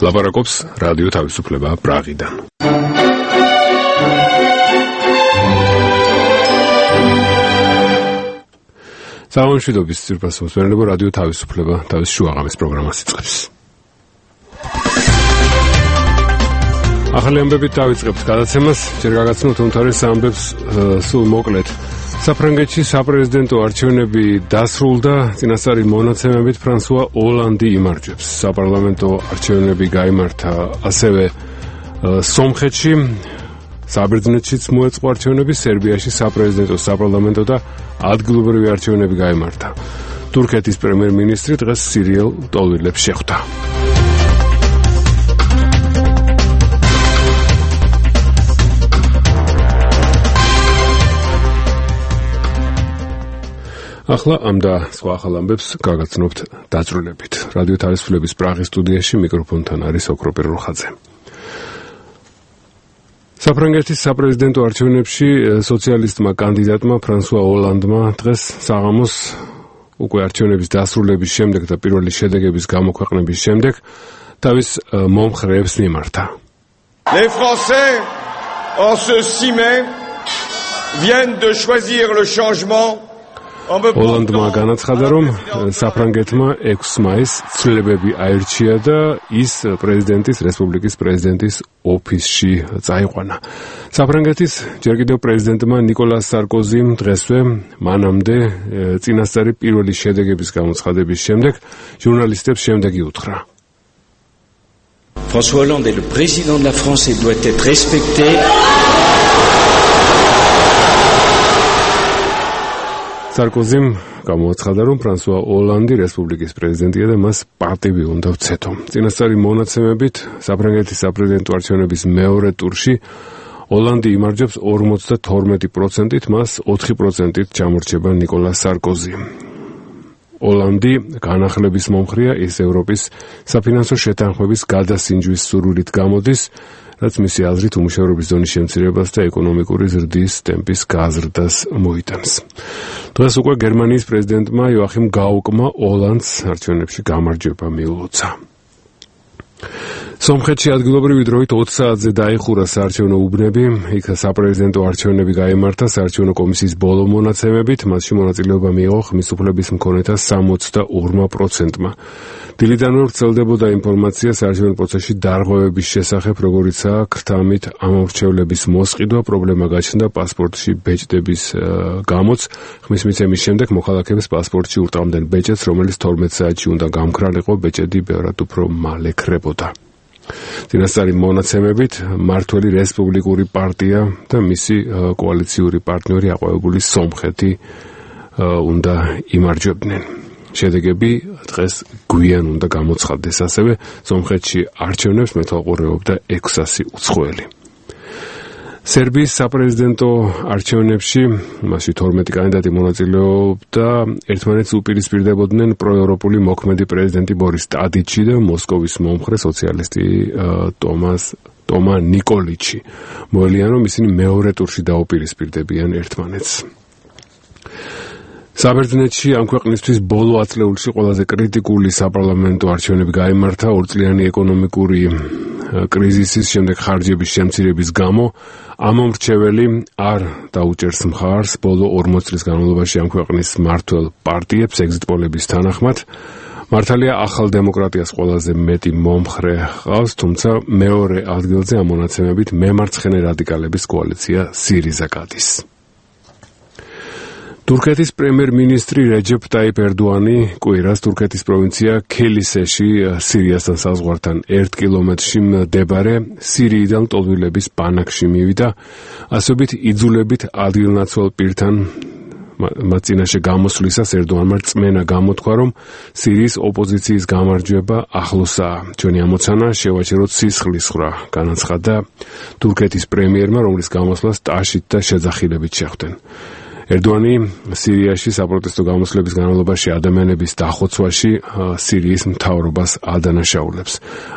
ლაპარაკობს რადიო თავისუფლება პრაღიდან. სამშვიდობის ძირფას მოსმენელებო რადიო თავისუფლება თავის შუაღამის პროგრამას იწყებს. ახალი ამბებით დავიწყებთ გადაცემას, ჯერ გაგაცნოთ უმთავრეს ამბებს სულ მოკლედ. საფრანგეთში საპრეზიდენტო არჩევნები დასრულდა, წინასწარი მონაცემებით ფრანსუა ოლანდი იმარჯვებს. საპარლამენტო არჩევნები გაიმართა ასევე სომხეთში, საბერძნეთშიც მოეწყო არჩევნები, სერბიაში საპრეზიდენტო, საპარლამენტო და ადგილობრივი არჩევნები გაიმართა. თურქეთის პრემიერ-მინისტრი დღეს სირიელ ტოლვილებს შეხვდა. ახლა ამ და სხვა ახალ ამბებს გაგაცნობთ დაწვრილებით. რადიო თავისუფლების პრაღის სტუდიაში მიკროფონთან არის ოქროპირ რუხაძე. საფრანგეთის საპრეზიდენტო არჩევნებში სოციალისტმა კანდიდატმა ფრანსუა ოლანდმა დღეს საღამოს უკვე არჩევნების დასრულების შემდეგ და პირველი შედეგების გამოქვეყნების შემდეგ თავის მომხრეებს მიმართა. Les Français en ce 6 mai viennent de choisir le changement. ოლანდმა განაცხადა, რომ საფრანგეთმა 6 მაისს ცვლილებები აირჩია და ის რესპუბლიკის პრეზიდენტის ოფისში წაიყვანა. საფრანგეთის ჯერ კიდევ პრეზიდენტმა ნიკოლას სარკოზიმ დღესვე მანამდე წინასწარი პირველი შედეგების გამოცხადების შემდეგ ჟურნალისტებს შემდეგი უთხრა. François Hollande est le président de la France et doit être respecté. სარკოზიმ გამოაცხადა, რომ ფრანსუა ოლანდი რესპუბლიკის პრეზიდენტია და მას პატივი უნდა ვცეთო. წინასწარი მონაცემებით საფრანგეთის საპრეზიდენტო არჩევნების მეორე ტურში ოლანდი იმარჯვებს 52%-ით, მას 4%-ით ჩამორჩება ნიკოლა სარკოზი. ოლანდი განახლების მომხრეა, ის ევროპის საფინანსო შეთანხმების გადასინჯვის სურვილით გამოდის, რაც მისი აზრით უმუშევრობის ზონის შემცირებას და ეკონომიკური ზრდის ტემპის გაზრდას მოიტანს. დღეს უკვე გერმანიის პრეზიდენტმა იოახიმ გაუკმა ოლანდს არჩევნებში გამარჯვება მიულოცა. სომხეთში ადგილობრივი დროით 20 საათზე დაიხურა საარჩევნო უბნები, იქ საპრეზიდენტო არჩევნები გაიმართა საარჩევნო კომისიის ბოლო მონაცემებით, მასში მონაწილეობა მიიღო ხმის უფლების მქონეთა 62%-მა. დილიდანვე ვრცელდებოდა ინფორმაცია საარჩევნო პროცესში დარღვევების შესახებ, როგორიცაა ქრთამით ამორჩევლების მოსყიდვა, პრობლემა გაჩნდა პასპორტში ბეჭდების გამოც. ხმის მიცემის შემდეგ მოქალაქეებს პასპორტში ურტყამდნენ ბეჭედს, რომელიც 12 საათში უნდა გამქრალიყო, ბეჭედი ბევრად უფრო მალე ქრებოდა. წინასწარი მონაცემებით მმართველი რესპუბლიკური პარტია და მისი კოალიციური პარტნიორი აყვავებული სომხეთი უნდა იმარჯვებდნენ. შედეგები დღეს გვიან უნდა გამოცხადდეს. ასევე სომხეთში არჩევნებს მეთვალყურეობდა 600 უცხოელი. სერბიის საპრეზიდენტო არჩევნებში მასში 12 კანდიდატი მონაწილეობდა, ერთმანეთს უპირისპირდებოდნენ პროევროპული მოქმედი პრეზიდენტი ბორის ტადიჩი და მოსკოვის მომხრე სოციალისტი ტომა ნიკოლიჩი. მოელიან, რომ ისინი მეორე ტურში დაუპირისპირდებიან ერთმანეთს. საბერძნეთში ამ ქვეყნისთვის ბოლო ათწლეულში ყველაზე კრიტიკული საპარლამენტო არჩევნები გაიმართა ორწლიანი ეკონომიკური კრიზისის შემდეგ ხარჯების შემცირების გამო. ამომრჩეველი არ დაუჭერს მხარს ბოლო 40 წლის განმავლობაში ამ ქვეყნის მმართველ პარტიებს ეგზიტ პოლების თანახმად. მართალია ახალ დემოკრატიას ყველაზე მეტი მომხრე ჰყავს, თუმცა მეორე ადგილზე ამ მონაცემებით მემარცხენე რადიკალების კოალიცია სირიზა გადის. თურქეთის პრემიერ-მინისტრი რეჯეფ ტაიპ ერდოანი კვირას თურქეთის პროვინცია ქილისეში სირიასთან საზღვართან 1 კილომეტრში მდებარე სირიიდან ტოლვილების ბანაკში მივიდა, ასობით იძულებით ადგილნაცვალ პირთან მათ წინაშე გამოსვლისას ერდოანმა რწმენა გამოთქვა, რომ სირიის ოპოზიციის გამარჯვება ახლოსაა. ჩვენი ამოცანა შევაჩეროთ სისხლის ხრა, განაცხადა თურქეთის პრემიერმა, რომლის გამოსვლას ტაშით და შეძახილებით შეხვდნენ. ერდოანი სირიაში საპროტესტო გამოსვლების განმავლობაში ადამიანების დახოცვაში სირიის მთავრობას ადანაშაულებს.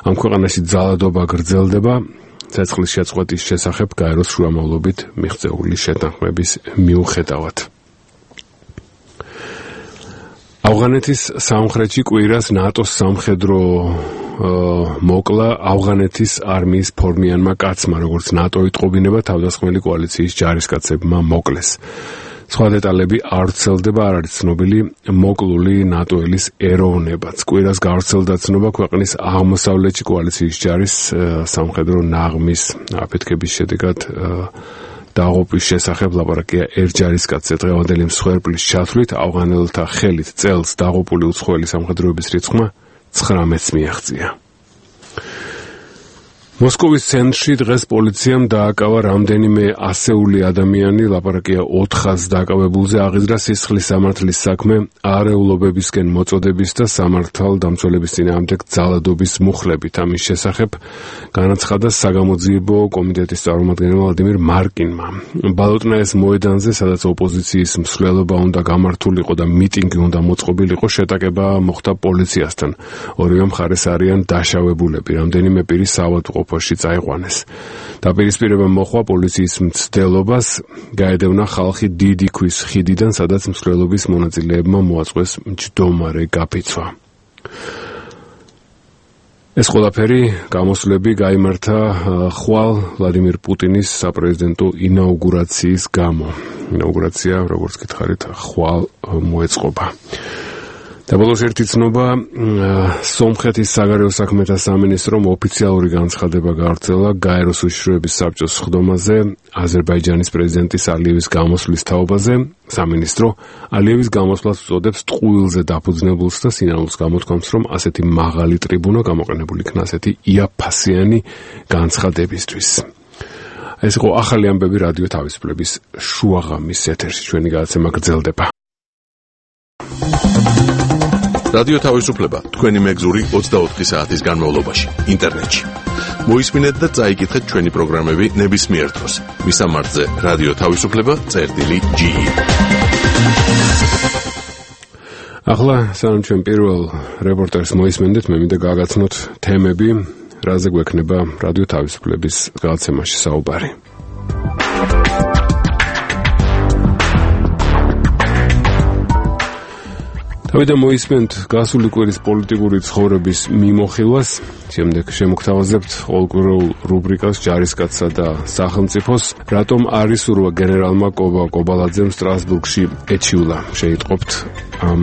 ამ ქვეყანაში ძალადობა გრძელდება, ცეცხლის შეწყვეტის შესახებ გაეროს შუამავლობით მიღწეული შეთანხმების მიუხედავად. ავღანეთის სამხრეთში კვირას ნატოს სამხედრო მოკლა ავღანეთის არმიის ფორმიანმა კაცმა, როგორც ნატო იტყობინება თავდასხმელი კოალიციის ჯარისკაცებმა მოკლეს. სხვა დეტალები არ ვრცელდება, არ არის ცნობილი მოკლული ნატოელის ეროვნებაც. კვირას გავრცელდა ცნობა ქვეყნის აღმოსავლეთში კოალიციის ჯარის სამხედრო ნაღმის აფეთქების შედეგად დაღუპვის შესახებ ლაპარაკია ერჯარისკაცზე. დღევანდელი მსხვერპლის ჩათვლით ავღანელთა ხელით წელს დაღუპული უცხოელი სამხედროების რიცხვმა 19-ს მიაღწია. მოსკოვის ცენტრში დღეს პოლიციამ დააკავა რამდენიმე ასეული ადამიანი, ლაპარაკია 400 დაკავებულზე, აღიზრდა სისხლის სამართლის საქმე, არეულობებისკენ მოწოდების და სამართალდამცველების წინააღმდეგ ძალადობის მუხლებით. ამის შესახებ განაცხადა საგამოძიებო კომიტეტის წარმომადგენელმა ვლადიმირ მარკინმა. ბალოტნაეს მოედანზე, სადაც ოპოზიციის მსვლელობა უნდა გამართულიყო და მიტინგი უნდა მოწყობილიყო, შეტაკება მოხდა პოლიციასთან. ორივე მხარეს არიან დაშავებულები, რამდენიმე პირი საავადმყოფოში წაიყვანეს. დაპირისპირება მოხდა პოლიციის მცდელობას, გაედევნა ხალხი დიდი ქვის ხიდიდან, სადაც მსვლელობის მონაწილეებმა მოაწყვეს მჯდომარე გაფიცვა. ეს ყველაფერი გამოსვლები გაიმართა ხვალ ვლადიმირ პუტინის საპრეზიდენტო ინაუგურაციის გამო. ინაუგურაცია, როგორც გითხარით, ხვალ მოეწყობა. და ბოლოს ერთი ცნობა, სომხეთის საგარეო საქმეთა სამინისტრომ ოფიციალური განცხადება გავრცელა გაეროს უშიშროების საბჭოს სხდომაზე აზერბაიჯანის პრეზიდენტის ალიევის გამოსვლის თაობაზე. სამინისტრო ალიევის გამოსვლას უწოდებს ტყუილზე დაფუძნებულს და სინანულს გამოთქვამს, რომ ასეთი მაღალი ტრიბუნა გამოყენებული იქნა ასეთი იაფფასიანი განცხადებისთვის. ეს იყო ახალი ამბები რადიო თავისუფლების შუაღამის ეთერში. ჩვენი გადაცემა გრძელდება. რადიო თავისუფლება თქვენი მეგზური 24 საათის განმავლობაში ინტერნეტში. მოისმინეთ და წაიკითხეთ ჩვენი პროგრამები ნებისმიერ დროს. მისამართზე რადიო თავისუფლება.ge. ახლა სანამ ჩვენ პირველ რეპორტერს მოისმენდეთ, მე მინდა გაგაცნოთ თემები, რაზე გვექნება რადიო თავისუფლების გადაცემაში საუბარი. თავიდან მოისმენთ გასული კვირის პოლიტიკური ცხოვრების მიმოხილვას, შემდეგ შემოგთავაზებთ ყოველკვირეულ რუბრიკას ჯარისკაცსა და სახელმწიფოს, რატომ არ ისურვა გენერალმა კობალაძემ სტრასბურგში ეჩიულა. შეიტყობთ ამ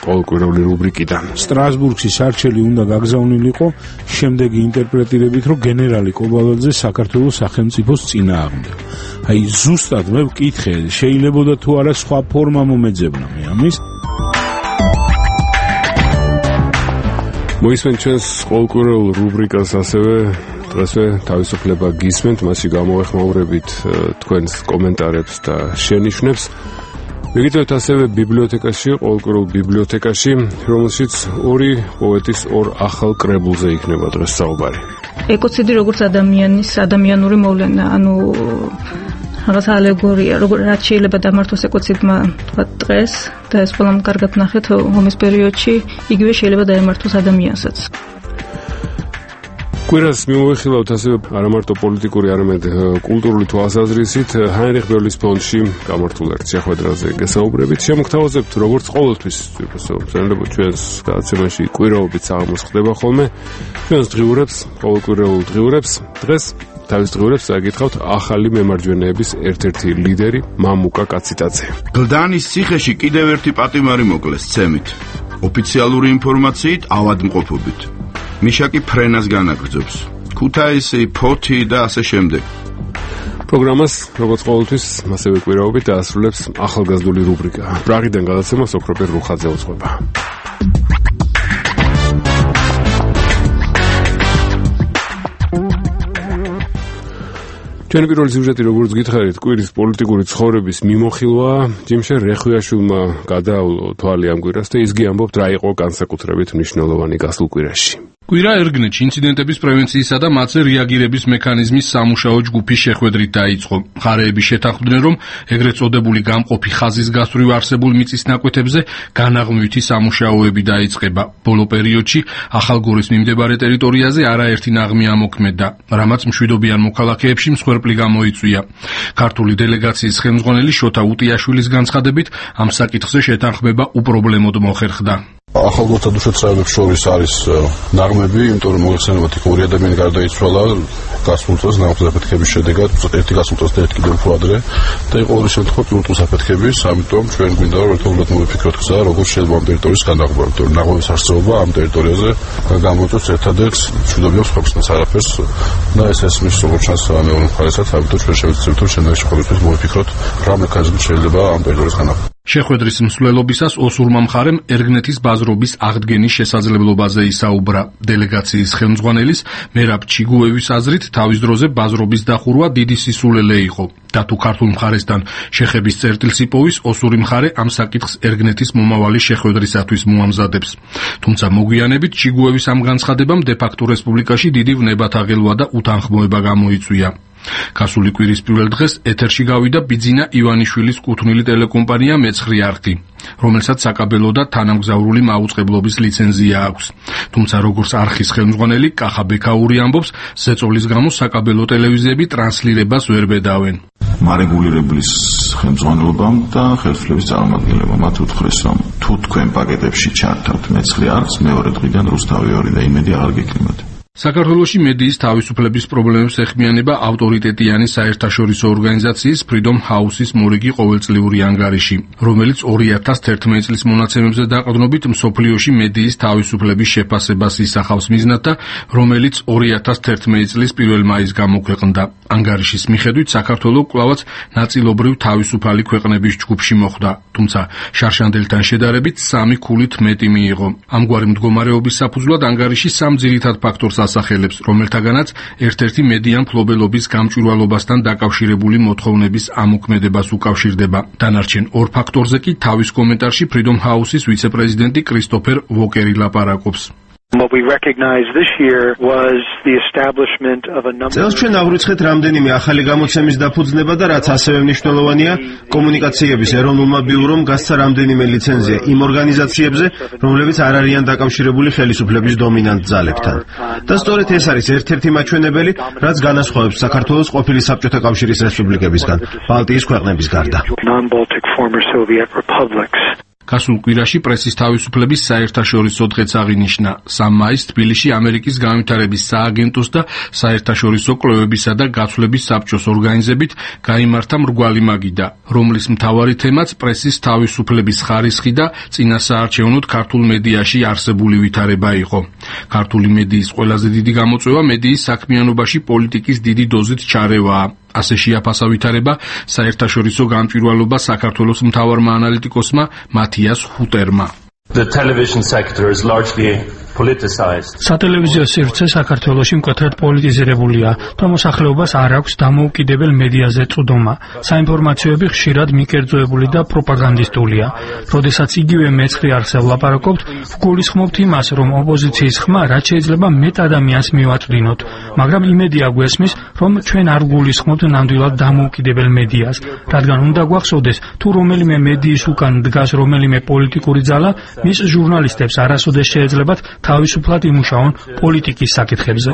ყოველკვირეული რუბრიკიდან. სტრასბურგში სარჩელი უნდა გაგზავნილიყო შემდეგი ინტერპრეტირებით, რომ გენერალი კობალაძე საქართველოს სახელმწიფოს წინააღმდეგ. აი ზუსტად მე ვკითხე, შეიძლებოდა თუ არა სხვა ფორმა მომეძებნა მე ამის. მოისმენთ ჩვენს ყოველკვირეულ რუბრიკას ასევე დღესვე თავისუფლება გისმენთ, მასში გამოვეხმაურებით თქვენს კომენტარებს და შენიშვნებს. მიგიტევთ ასევე ბიბლიოთეკაში, ყოველკვირეულ ბიბლიოთეკაში, რომელშიც ორი პოეტის ორ ახალ კრებულზე იქნება დღეს საუბარი. ეკოციდი როგორც ადამიანის ადამიანური მოვლენა, ანუ რაღაც ალეგორია, რაც შეიძლება დამართოს ეკოციდმა დღეს და ეს ყველამ კარგად ნახეთ ომის პერიოდში, იგივე შეიძლება დაემართოს ადამიანსაც. კვირას მიმოვიხილავთ ასევე არამარტო პოლიტიკური, არამედ კულტურული თვალსაზრისით ჰაინრიხ ბერლის ფონდში გამართულ ერთ შეხვედრაზე გესაუბრებით. შემოგთავაზებთ, როგორც ყოველთვის, ჩვენს გადაცემაში კვირაობით საღამოს ხდება ხოლმე ჩვენს დღიურებს, ყოველკვირეულ დღიურებს. დღეს თავის დღიურებს წაგითხავთ ახალი მემარჯვენეების ერთ-ერთი ლიდერი მამუკა კაციტაძე. გლდანის ციხეში კიდევ ერთი პატიმარი მოკლეს ცემით. ოფიციალური ინფორმაციით ავადმყოფობით. მიშაკი ფრენას განაგრძობს. ქუთაისი, ფოთი და ასე შემდეგ. პროგრამას, როგორც ყოველთვის, ასევე კვირაობით დაასრულებს ახალგაზრდული რუბრიკა. პრაღიდან გადაცემა სოფროპერ რუხაძე უძღვება. ჩვენი პირველი სიუჟეტი, როგორც გითხარით, კვირის პოლიტიკური ცხოვრების მიმოხილვა, ჯიმშე რეხვიაშვილმა გადაავლო თვალი ამ კვირას და ისგი ამბობთ, რა იყო განსაკუთრებით მნიშვნელოვანი გასულ კვირაში. კვირა ერგნეთში ინციდენტების პრევენციისა და მათზე რეაგირების მექანიზმის სამუშაო ჯგუფის შეხვედრით დაიწყო. მხარეები შეთანხმდნენ, რომ ეგრეთ წოდებული გამყოფი ხაზის გასწვრივ არსებულ მიწის ნაკვეთებზე განაღმვითი სამუშაოები დაიწყება. ბოლო პერიოდში ახალგორის მიმდებარე ტერიტორიაზე არაერთი ნაღმი ამოქმედა, რამაც მშვიდობიან მოქალაქეებში მსხვერპლი გამოიწვია. ქართული დელეგაციის ხელმძღვანელი შოთა უტიაშვილის განცხადებით, ამ საკითხზე შეთანხმება უპრობლემოდ მოხერხდა. ახალგაზრდა უშეცრებებს შორის არის ნაღმები, იმიტომ რომ მოიხსენებათ იქ ორი ადამიანი გარდაიცვალა გასულ წელს ნავთობის აფეთქების შედეგად, ერთი გასულ წელს და ერთი კიდევ უფრო ადრე და იყო ორი შემთხვევა პირველ აფეთქების, ამიტომ ჩვენ გვინდა რომ ერთობლივად მოვიფიქროთ გზა, როგორ შეიძლება ამ ტერიტორიის განაღობა, იმიტომ რომ ნაღმების არსებობა ამ ტერიტორიაზე გამოიწვევს ერთადერთ მშვიდობიან სხვებსაც არაფერს და ეს მის როგორც ჩანს მეორე მხარესაც, ამიტომ ჩვენ შევეცდებით რომ შენაერთი ყოველთვის მოვიფიქროთ რა მექანიზმით შეიძლება ამ ტერიტორიის განაღობა. შეხვედრის მსვლელობისას ოსურმა მხარემ ერგნეთის ბაზრობის აღდგენის შესაძლებლობაზე ისაუბრა. დელეგაციის ხელმძღვანელის მერაბ ჩიგუევის აზრით თავის დროზე ბაზრობის დახურვა დიდი სისულელე იყო. და თუ ქართულ მხარესთან შეხების წერტილს იპოვის, ოსური მხარე ამ საკითხს ერგნეთის მომავალი შეხვედრისათვის მოამზადებს. თუმცა მოგვიანებით ჩიგუევის ამ განცხადებამ დე-ფაქტო რესპუბლიკაში დიდი ვნებათაღელვა და უთანხმოება გამოიწვია. გასული კვირის პირველ დღეს ეთერში გავიდა ბიძინა ივანიშვილის კუთვნილი ტელეკომპანია მეცხრე არხი, რომელსაც საკაბელო და თანამგზავრული მაუწყებლობის ლიცენზია აქვს. თუმცა როგორც არხის ხელმძღვანელი კახა ბექაური ამბობს, ზეწოლის გამო საკაბელო ტელევიზიები ტრანსლირებას ვერ ბედავენ. მარეგულირებლის ხელმძღვანელობამ და ხელისუფლების წარმომადგენლებამ მათ უთხრეს, რომ თუ თქვენ პაკეტებში ჩართავთ მეცხრე არხს, მეორე დღიდან რუსთავი 2 და იმედი აღარ გექნებათ. საქართველოში მედიის თავისუფლების პრობლემებს ეხმიანება ავტორიტეტიანი საერთაშორისო ორგანიზაციის Freedom House-ის მორიგი ყოველწლიური ანგარიში, რომელიც 2011 წლის მონაცემებზე დაყრდნობით მსოფლიოში მედიის თავისუფლების შეფასებას ისახავს მიზნად და რომელიც 2011 წლის 1 მაისს გამოქვეყნდა. ანგარიშის მიხედვით საქართველო კვლავაც ნაწილობრივ თავისუფალი ქვეყნების ჯგუფში მოხვდა, თუმცა შარშანდელთან შედარებით 3 ქულით მეტი მიიღო. ამგვარი მდგომარეობის საფუძვლად ანგარიში 3 ძირითად ფაქტორს ასახელებს, რომელთაგანაც ერთ-ერთი მედია მფლობელობის გამჭვირვალობასთან დაკავშირებული მოთხოვნების ამოქმედებას უკავშირდება. დანარჩენ 2 ფაქტორზე კი თავის კომენტარში Freedom House-ის ვიცე-პრეზიდენტი კრისტოფერ ვოკერი ლაპარაკობს. წელს ჩვენ აღვიცხეთ რამდენიმე ახალი გამოცემის დაფუძნება და რაც ასევე მნიშვნელოვანია, კომუნიკაციების ეროვნულმა ბიურომ გასცა რამდენიმე ლიცენზია იმ ორგანიზაციებზე, რომლებიც არ არიან დაკავშირებული ხელისუფლების დომინანტ ძალებთან. და სწორედ ეს არის ერთ-ერთი მაჩვენებელი, რაც განასხვავებს საქართველოს ყოფილი საბჭოთა კავშირის რესპუბლიკებისგან, ბალტიის ქვეყნების გარდა. გასულ კვირაში პრესის თავისუფლების საერთაშორისო დღეც აღინიშნა. 3 მაისს თბილისში ამერიკის განვითარების სააგენტოს და საერთაშორისო კვლევებისა და გაცვლების საბჭოს ორგანიზებით გაიმართა მრგვალი მაგიდა, რომლის მთავარი თემაც პრესის თავისუფლების ხარისხი და წინასაარჩევნოდ ქართულ მედიაში არსებული ვითარება იყო. ქართული მედიის ყველაზე დიდი გამოწვევა მედიის საქმიანობაში პოლიტიკის დიდი დოზით ჩარევაა. ასე შეაფასა ვითარება საერთაშორისო გამჭვირვალობა საქართველოს მთავარმა ანალიტიკოსმა მათიას ჰუტერმა. სატელევიზიო სივრცე საქართველოში მკვეთრად პოლიტიზირებულია და მოსახლეობას არ აქვს დამოუკიდებელ მედიაზე წვდომა. საინფორმაციოები ხშირად მიკერძოებული და პროპაგანდისტულია. როდესაც იგივე მეცხრე არხზე ვლაპარაკობთ, ვგულისხმობთ იმას, რომ ოპოზიციის ხმა რაც შეიძლება მეტ ადამიანს მივაწვდინოთ, მაგრამ იმედი აგვესმის, რომ ჩვენ არ ვგულისხმობთ ნამდვილად დამოუკიდებელ მედიას, რადგან უნდა გვახსოვდეს, თუ რომელიმე მედიის უკან დგას რომელიმე პოლიტიკური ძალა, მის ჟურნალისტებს არასოდეს შეეძლებათ თავისუფლად იმუშაონ პოლიტიკის საკითხებზე.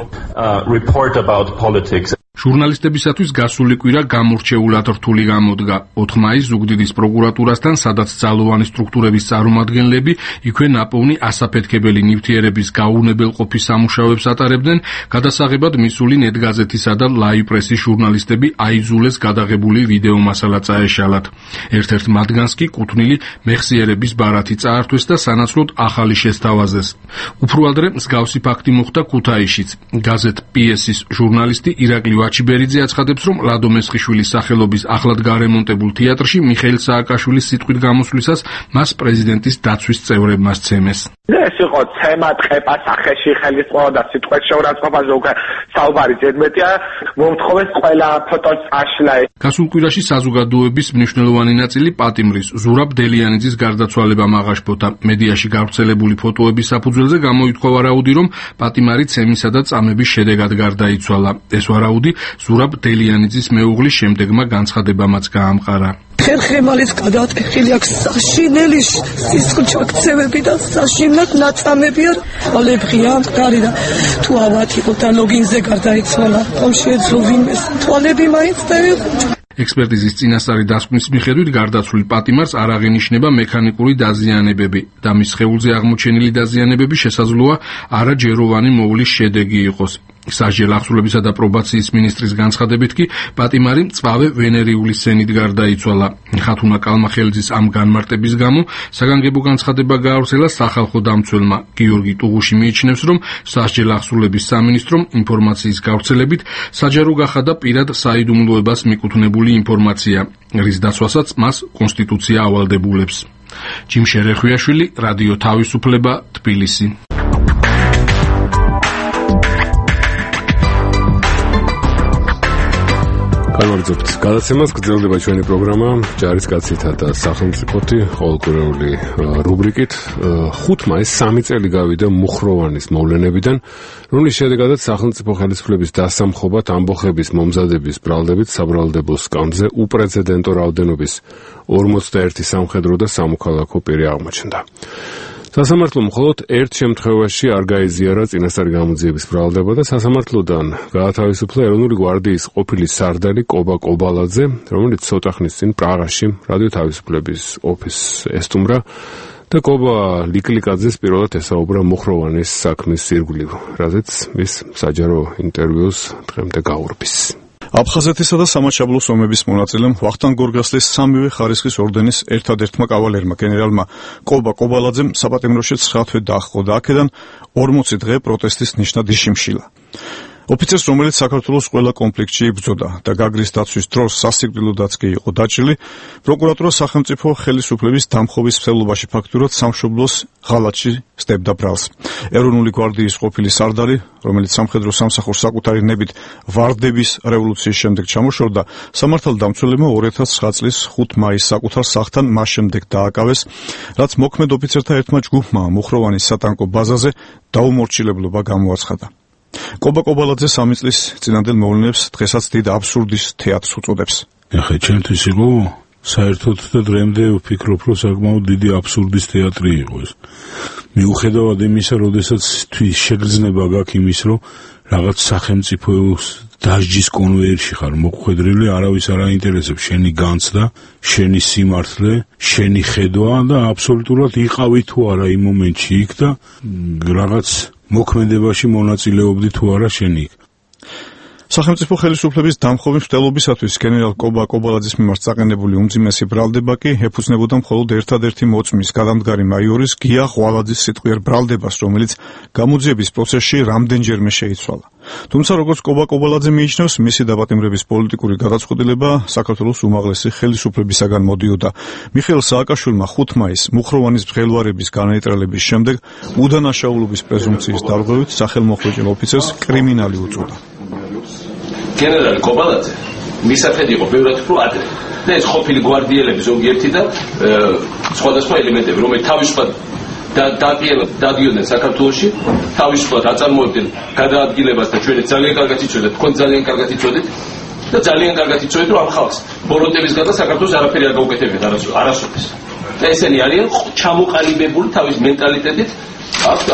ჟურნალისტებისათვის გასული კვირა გამორჩეულად რთული გამოდგა. 4 მაისს ზუგდიდის პროკურატურასთან, სადაც ძალოვანი სტრუქტურების წარმომადგენლები იქვე ნაპოვნი ასაფეთქებელი ნივთიერების გაუნებელყოფის სამუშაოებს ატარებდნენ, გადასაღებად მისული ნეტგაზეთისა და ლაივ პრესის ჟურნალისტები აიძულეს გადაღებული ვიდეო მასალა წაეშალათ. ერთ-ერთ მათგანს კი კუთვნილი მეხსიერების ბარათი წაართვეს და სანაცვლოდ ახალი შესთავაზეს. უფრო ადრე მსგავსი ფაქტი მოხდა ქუთაისშიც. გაზეთ PS-ის ჟურნალისტი ირაკლი ვაჩიბერიძე აცხადებს, რომ ლადო მესხიშვილის სახელობის ახლად გარემონტებულ თეატრში მიხეილ სააკაშვილის სიტყვით გამოსვლისას მას პრეზიდენტის დაცვის წევრებმა სცემეს. ეს იყო ცემა ტყეპა სახეში ხელისწყობა და სიტყვით შეურაცხყოფაზე უკვე საუბარი ზედმეტია, მომთხოვეს ყველა ფოტოს წაშლა. გასულ კვირაში საზოგადოების მნიშვნელოვანი ნაწილი პატიმრის ზურაბ დელიანიძის გარდაცვალებამ აღაშფოთა. მედიაში გავრცელებული ფოტოების საფუძველზე გამოითქვა ვარაუდი, რომ პატიმარი ცემისა და წამების შედეგად გარდაიცვალა. ეს ვარაუდი ზურაბ დელიანიძის მეუღლის შემდეგმა განცხადებამაც გაამყარა. ხერხემალის გადაატეხილი აქვს საშინელი სისხლჩაქცევები და საშინლად ნაწამები არ ალებღია მყარი და თუ ავად იყო და ლოგინზე გარდაიცვალა, რომ შეეძლო ვინმეს თვალები მაინც დაეღვიჭა. ექსპერტიზის წინასწარი დასკვნის მიხედვით გარდაცვლილ პატიმარს არ აღინიშნება მექანიკური დაზიანებები და მის სხეულზე აღმოჩენილი დაზიანებები შესაძლოა არაჯეროვანი მოვლის შედეგი იყოს. სასჯელ აღსრულებისა და პრობაციის მინისტრის განცხადებით კი პატიმარი მწვავე ვენერიული სენით გარდაიცვალა. ხათუნა კალმახელიძის ამ განმარტების გამო საგანგებო განცხადება გაავრცელა სახალხო დამცველმა. გიორგი ტუღუში მიიჩნევს, რომ სასჯელ აღსრულების სამინისტრომ ინფორმაციის გავრცელებით საჯარო გახადა პირად საიდუმლოებას მიკუთვნებული ინფორმაცია, რის დაცვასაც მას კონსტიტუცია ავალდებულებს. ჯიმ შერეხვიაშვილი, რადიო თავისუფლება, თბილისი. განვაგრძობთ გადაცემას, გრძელდება ჩვენი პროგრამა ჯარისკაცითა და სახელმწიფოთი ყოველკვირეული რუბრიკით. 5 მაისს 3 წელი გავიდა მუხროვანის მოვლენებიდან, რომლის შედეგადაც სახელმწიფო ხელისუფლების დასამხობად ამბოხების მომზადების ბრალდებით საბრალდებო სკამზე უპრეცედენტო რაოდენობის 41 სამხედრო და სამოქალაქო პირი აღმოჩნდა. სასამართლომ მხოლოდ ერთ შემთხვევაში არ გაიზიარა წინასწარი გამოძიების ბრალდება და სასამართლოდან გაათავისუფლა ეროვნული გვარდიის ყოფილი სარდალი კობა კობალაძე, რომელიც ცოტა ხნის წინ პრაღაში რადიო თავისუფლების ოფისს ესტუმრა და კობა ლიკლიკაძეს პირველად ესაუბრა მუხროვანის საქმის ირგვლივ, რაზეც ის საჯარო ინტერვიუს დღემდე გაურბის. აფხაზეთისა და სამაჩაბლოს ომების მონაწილემ ვახტანგ გორგასლის სამივე ხარისხის ორდენის ერთადერთმა კავალერმა გენერალმა კობა კობალაძემ საპატიმროში 9 თვე დაჰყო და აქედან 40 დღე პროტესტის ნიშნად იშიმშილა. ოფიცერს, რომელიც საქართველოს ყველა კონფლიქტში იბრძოდა და გაგრის დაცვის დროს სასიკვდილოდაც კი იყო დაჭრილი, პროკურატურა სახელმწიფო ხელისუფლების დამხობის მსვლელობაში ფაქტურად სამშობლოს ღალატში სდებდა ბრალს. ეროვნული გვარდიის ყოფილი სარდალი, რომელიც სამხედრო სამსახურს საკუთარი ნებით ვარდების რევოლუციის შემდეგ ჩამოშორდა, სამართალდამცველებმა 2009 წლის 5 მაისს საკუთარ სახლთან მას შემდეგ დააკავეს, რაც მოქმედ ოფიცერთა ერთმა ჯგუფმა მუხროვანის სატანკო ბაზაზე დაუმორჩილებლობა გამოაცხადა. კობა კობალაძე 3 წლის წინანდელ მოვლენებს დღესაც დიდ აბსურდის თეატრს უწოდებს. ახლა ჩემთვის იყო საერთოდ და დღემდე ვფიქრობ, რომ საკმაოდ დიდი აბსურდის თეატრი იყო ეს. მიუხედავად იმისა, როდესაც თვის შეგრძნება გაქვს იმის, რომ რაღაც სახელმწიფოს დასჯის კონვეიერში ხარ მოხვედრილი, არავის არ აინტერესებს შენი განცდა, შენი სიმართლე, შენი ხედვა და აბსოლუტურად იყავი თუ არა იმ მომენტში იქ და რაღაც მოქმედებაში მონაწილეობდი თუ არა შენი იქ. სახელმწიფო ხელისუფლების დამხობის მცდელობისათვის გენერალ კობა კობალაძის მიმართ წაყენებული უმძიმესი ბრალდება კი ეფუძნებოდა მხოლოდ ერთადერთი მოწმის გადამდგარი მაიორის გია ღვალაძის სიტყვიერ ბრალდებას, რომელიც გამოძიების პროცესში რამდენჯერმე შეიცვალა. თუმცა როგორც კობა კობალაძე მიიჩნევს, მისი დაპატიმრების პოლიტიკური გადაწყვეტილება საქართველოს უმაღლესი ხელისუფლებისაგან მოდიოდა. მიხეილ სააკაშვილმა 5 მაისს მუხროვანის მღელვარების განაეტრალების შემდეგ უდანაშაულობის პრეზუმპციის დარღვევით სახელმოხვეჭილ ოფიცერს კრიმინალი უწოდა. გენერალი კობალაძე მისახედი იყო ბევრად უფრო ადრე და ეს ყოფილი გვარდიელები ზოგიერთი და სხვადასხვა ელემენტები, რომელიც თავისუფლად დადიოდნენ საქართველოში, თავისუფლად აწარმოებდნენ გადაადგილებას და ჩვენც ძალიან კარგად იცოდეთ, თქვენ ძალიან კარგად იცოდეთ და ძალიან კარგად იცოდეთ, რომ ამ ხალხს ბოროტებისგან და საქართველოს არაფერი არ გაუკეთებიათ არასოდეს. და ესენი არიან ჩამოყალიბებული თავის მენტალიტეტით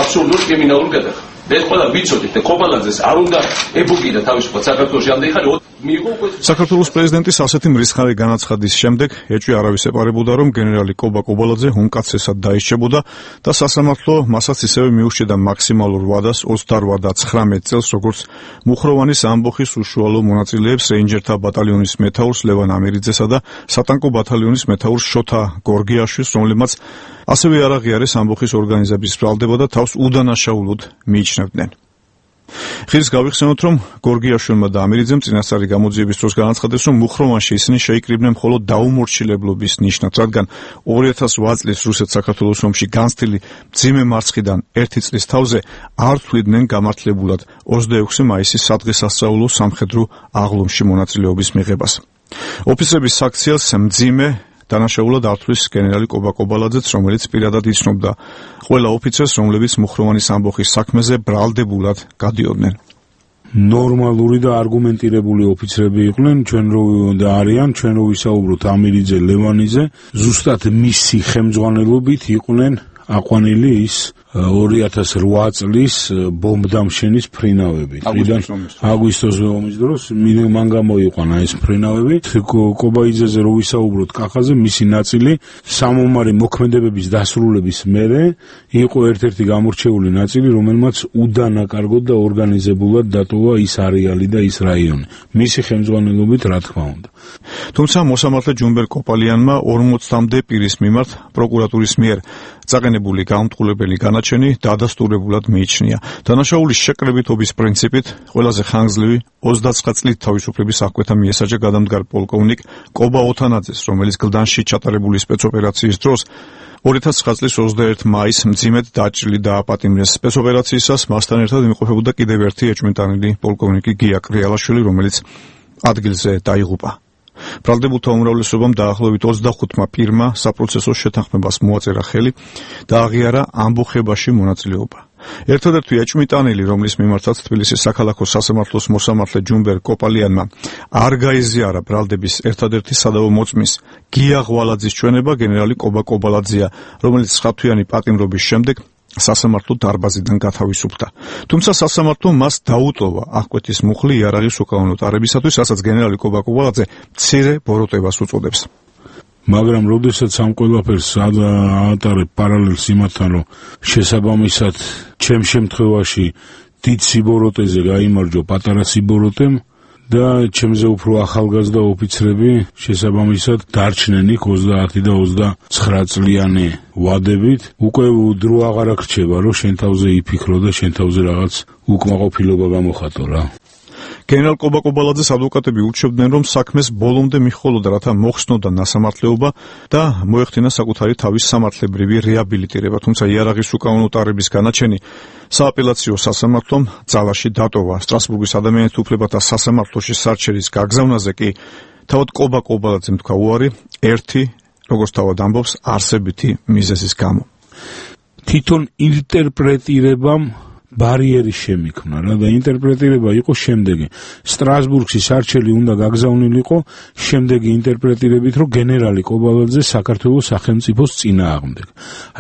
აბსურდულ კრიმინალურ გადახდას. ეს ყველა ვიცოდით და კობალაძეს არ უნდა ებუგიდა თავისუფლად საქართველოში ამდენი ხანი საქართველოს პრეზიდენტის ასეთი მრისხარე განაცხადის შემდეგ ეჭვი არავის ეპარებოდა, რომ გენერალი კობა კობალაძე უმკაცრესად დაისჭებოდა და სასამართლო მასაც ისევე მიურჩიდა მაქსიმალურ ვადას 28 და 19 წელს, როგორც მუხროვანის ამბოხის უშუალო მონაწილეებს რეინჯერთა ბატალიონის მეთაურს ლევან ამირიძესა და სატანკო ბატალიონის მეთაურს შოთა გორგიაშვილს, რომლებმაც ასევე არ აღიარეს ამბოხის ორგანიზების ბრალდება და თავს უდანაშაულოდ მიიჩნევდნენ. ხილს გავიხსენოთ, რომ გორგიაშვილმა და ამირიძემ წინასწარი გამოძიების დროს განაცხადეს, რომ მუხროვანში ისინი შეიკრიბნენ მხოლოდ დაუმორჩილებლობის ნიშნად, რადგან 2008 წლის რუსეთ-საქართველოს ომში განცდილი მძიმე მარცხიდან 1 წლის თავზე არ თვლიდნენ გამართლებულად 26 მაისის სადღესასწაულო სამხედრო აღლუმში მონაწილეობის მიღებას. ოფიცრების საქციელს მძიმე დანაშაულად ართვლის გენერალი კობა კობალაძეც, რომელიც პირადად იცნობდა ყველა ოფიცერს, რომლებიც მუხროვანის ამბოხის საქმეზე ბრალდებულად გადიოდნენ. ნორმალური და არგუმენტირებული ოფიცრები იყვნენ, ჩვენ და არიან, ჩვენ რო ვისაუბროთ ამირიძე, ლევანიძე, ზუსტად მისი ხელმძღვანელობით იყვნენ აყვანილი ის 2008 წლის ბომბდამშენის ფრინავები. აგვისტოს ომის დროს მან გამოიყვანა ეს ფრინავები. კობაიძეზე რო ვისაუბროთ კახაზე, მისი ნაწილი სამომარი მოქმედებების დასრულების მერე იყო ერთ-ერთი გამორჩეული ნაწილი, რომელმაც უდანაკარგოდ და ორგანიზებულად დატოვა ის არეალი და ის რაიონი. მისი ხელმძღვანელობით, რა თქმა უნდა. თუმცა მოსამართლე ჯუმბერ კოპალიანმა 40-მდე პირის მიმართ პროკურატურის მიერ წაყენებული გამტყუებელი განაჩენი დადასტურებულად მიიჩნია. დანაშაულის შეკრებითობის პრინციპით ყველაზე ხანგრძლივი 29 წლით თავისუფლების აღკვეთა მიესაჯა გადამდგარ პოლკოვნიკ კობა ოთანაძეს, რომელიც გლდანში ჩატარებული სპეცოპერაციის დროს 2009 წლის 21 მაისს მძიმედ დაჭრილი დააპატიმრეს. სპეცოპერაციისას მასთან ერთად იმყოფებოდა კიდევ ერთი ეჭვმიტანილი პოლკოვნიკი გია კრიალაშვილი, რომელიც ადგილზე დაიღუპა. ბრალდებულთა უმრავლესობამ დაახლოებით 25 პირმა საპროცესო შეთანხმებას მოაწერა ხელი და აღიარა ამბოხებაში მონაწილეობა. ერთადერთი ეჭვმიტანილი, რომლის მიმართაც თბილისის საქალაქო სასამართლოს მოსამართლე ჯუმბერ კოპალიანმა არ გაიზიარა ბრალდების ერთადერთი სადავო მოწმის გია ღვალაძის ჩვენება, გენერალი კობა კობალაძეა, რომელიც 9 თვიანი პატიმრობის შემდეგ სასამართლო დარბაზიდან გათავისუფლდა. თუმცა სასამართლომ მას დაუტოვა აღკვეთის მუხლი იარაღის უკანონო ტარებისათვის, რასაც გენერალი კობა კობალაძე მცირე ბოროტებას უწოდებს. მაგრამ როდესაც ამ ყველაფერს აატარებ პარალელს იმათთან, რომ შესაბამისად ჩემ შემთხვევაში დიდ სიბოროტეზე გაიმარჯვა პატარა სიბოროტემ და ჩემზე უფრო ახალგაზრდა ოფიცრები შესაბამისად დარჩნენ იქ 30 და 29 წლიანი ვადებით, უკვე დრო აღარ აღრჩება, რომ შენ თავზე იფიქრო და შენ თავზე რაღაც უკმაყოფილება გამოხატო რა. გენერალ კობა კობალაძეს ადვოკატები ურჩევდნენ, რომ საქმეს ბოლომდე მიჰყოლოდა, რათა მოხსნოდა ნასამართლეობა და მოეხდინა საკუთარი თავის სამართლებრივი რეაბილიტირება, თუმცა იარაღის უკანონო ტარების განაჩენი სააპელაციო სასამართლომ ძალაში დატოვა. სტრასბურგის ადამიანთა უფლებათა სასამართლოში სარჩელის გაგზავნაზე კი თავად კობა კობალაძემ თქვა უარი ერთი, როგორც თავად ამბობს, არსებითი მიზეზის გამო. თვითონ ინტერპრეტირებამ ბარიერი შემიქმნა რა და ინტერპრეტირება იყო შემდეგი. სტრასბურგში სარჩელი უნდა გაგზავნილიყო შემდეგი ინტერპრეტირებით, რომ გენერალი კობალაძე საქართველოს სახელმწიფოს წინააღმდეგ.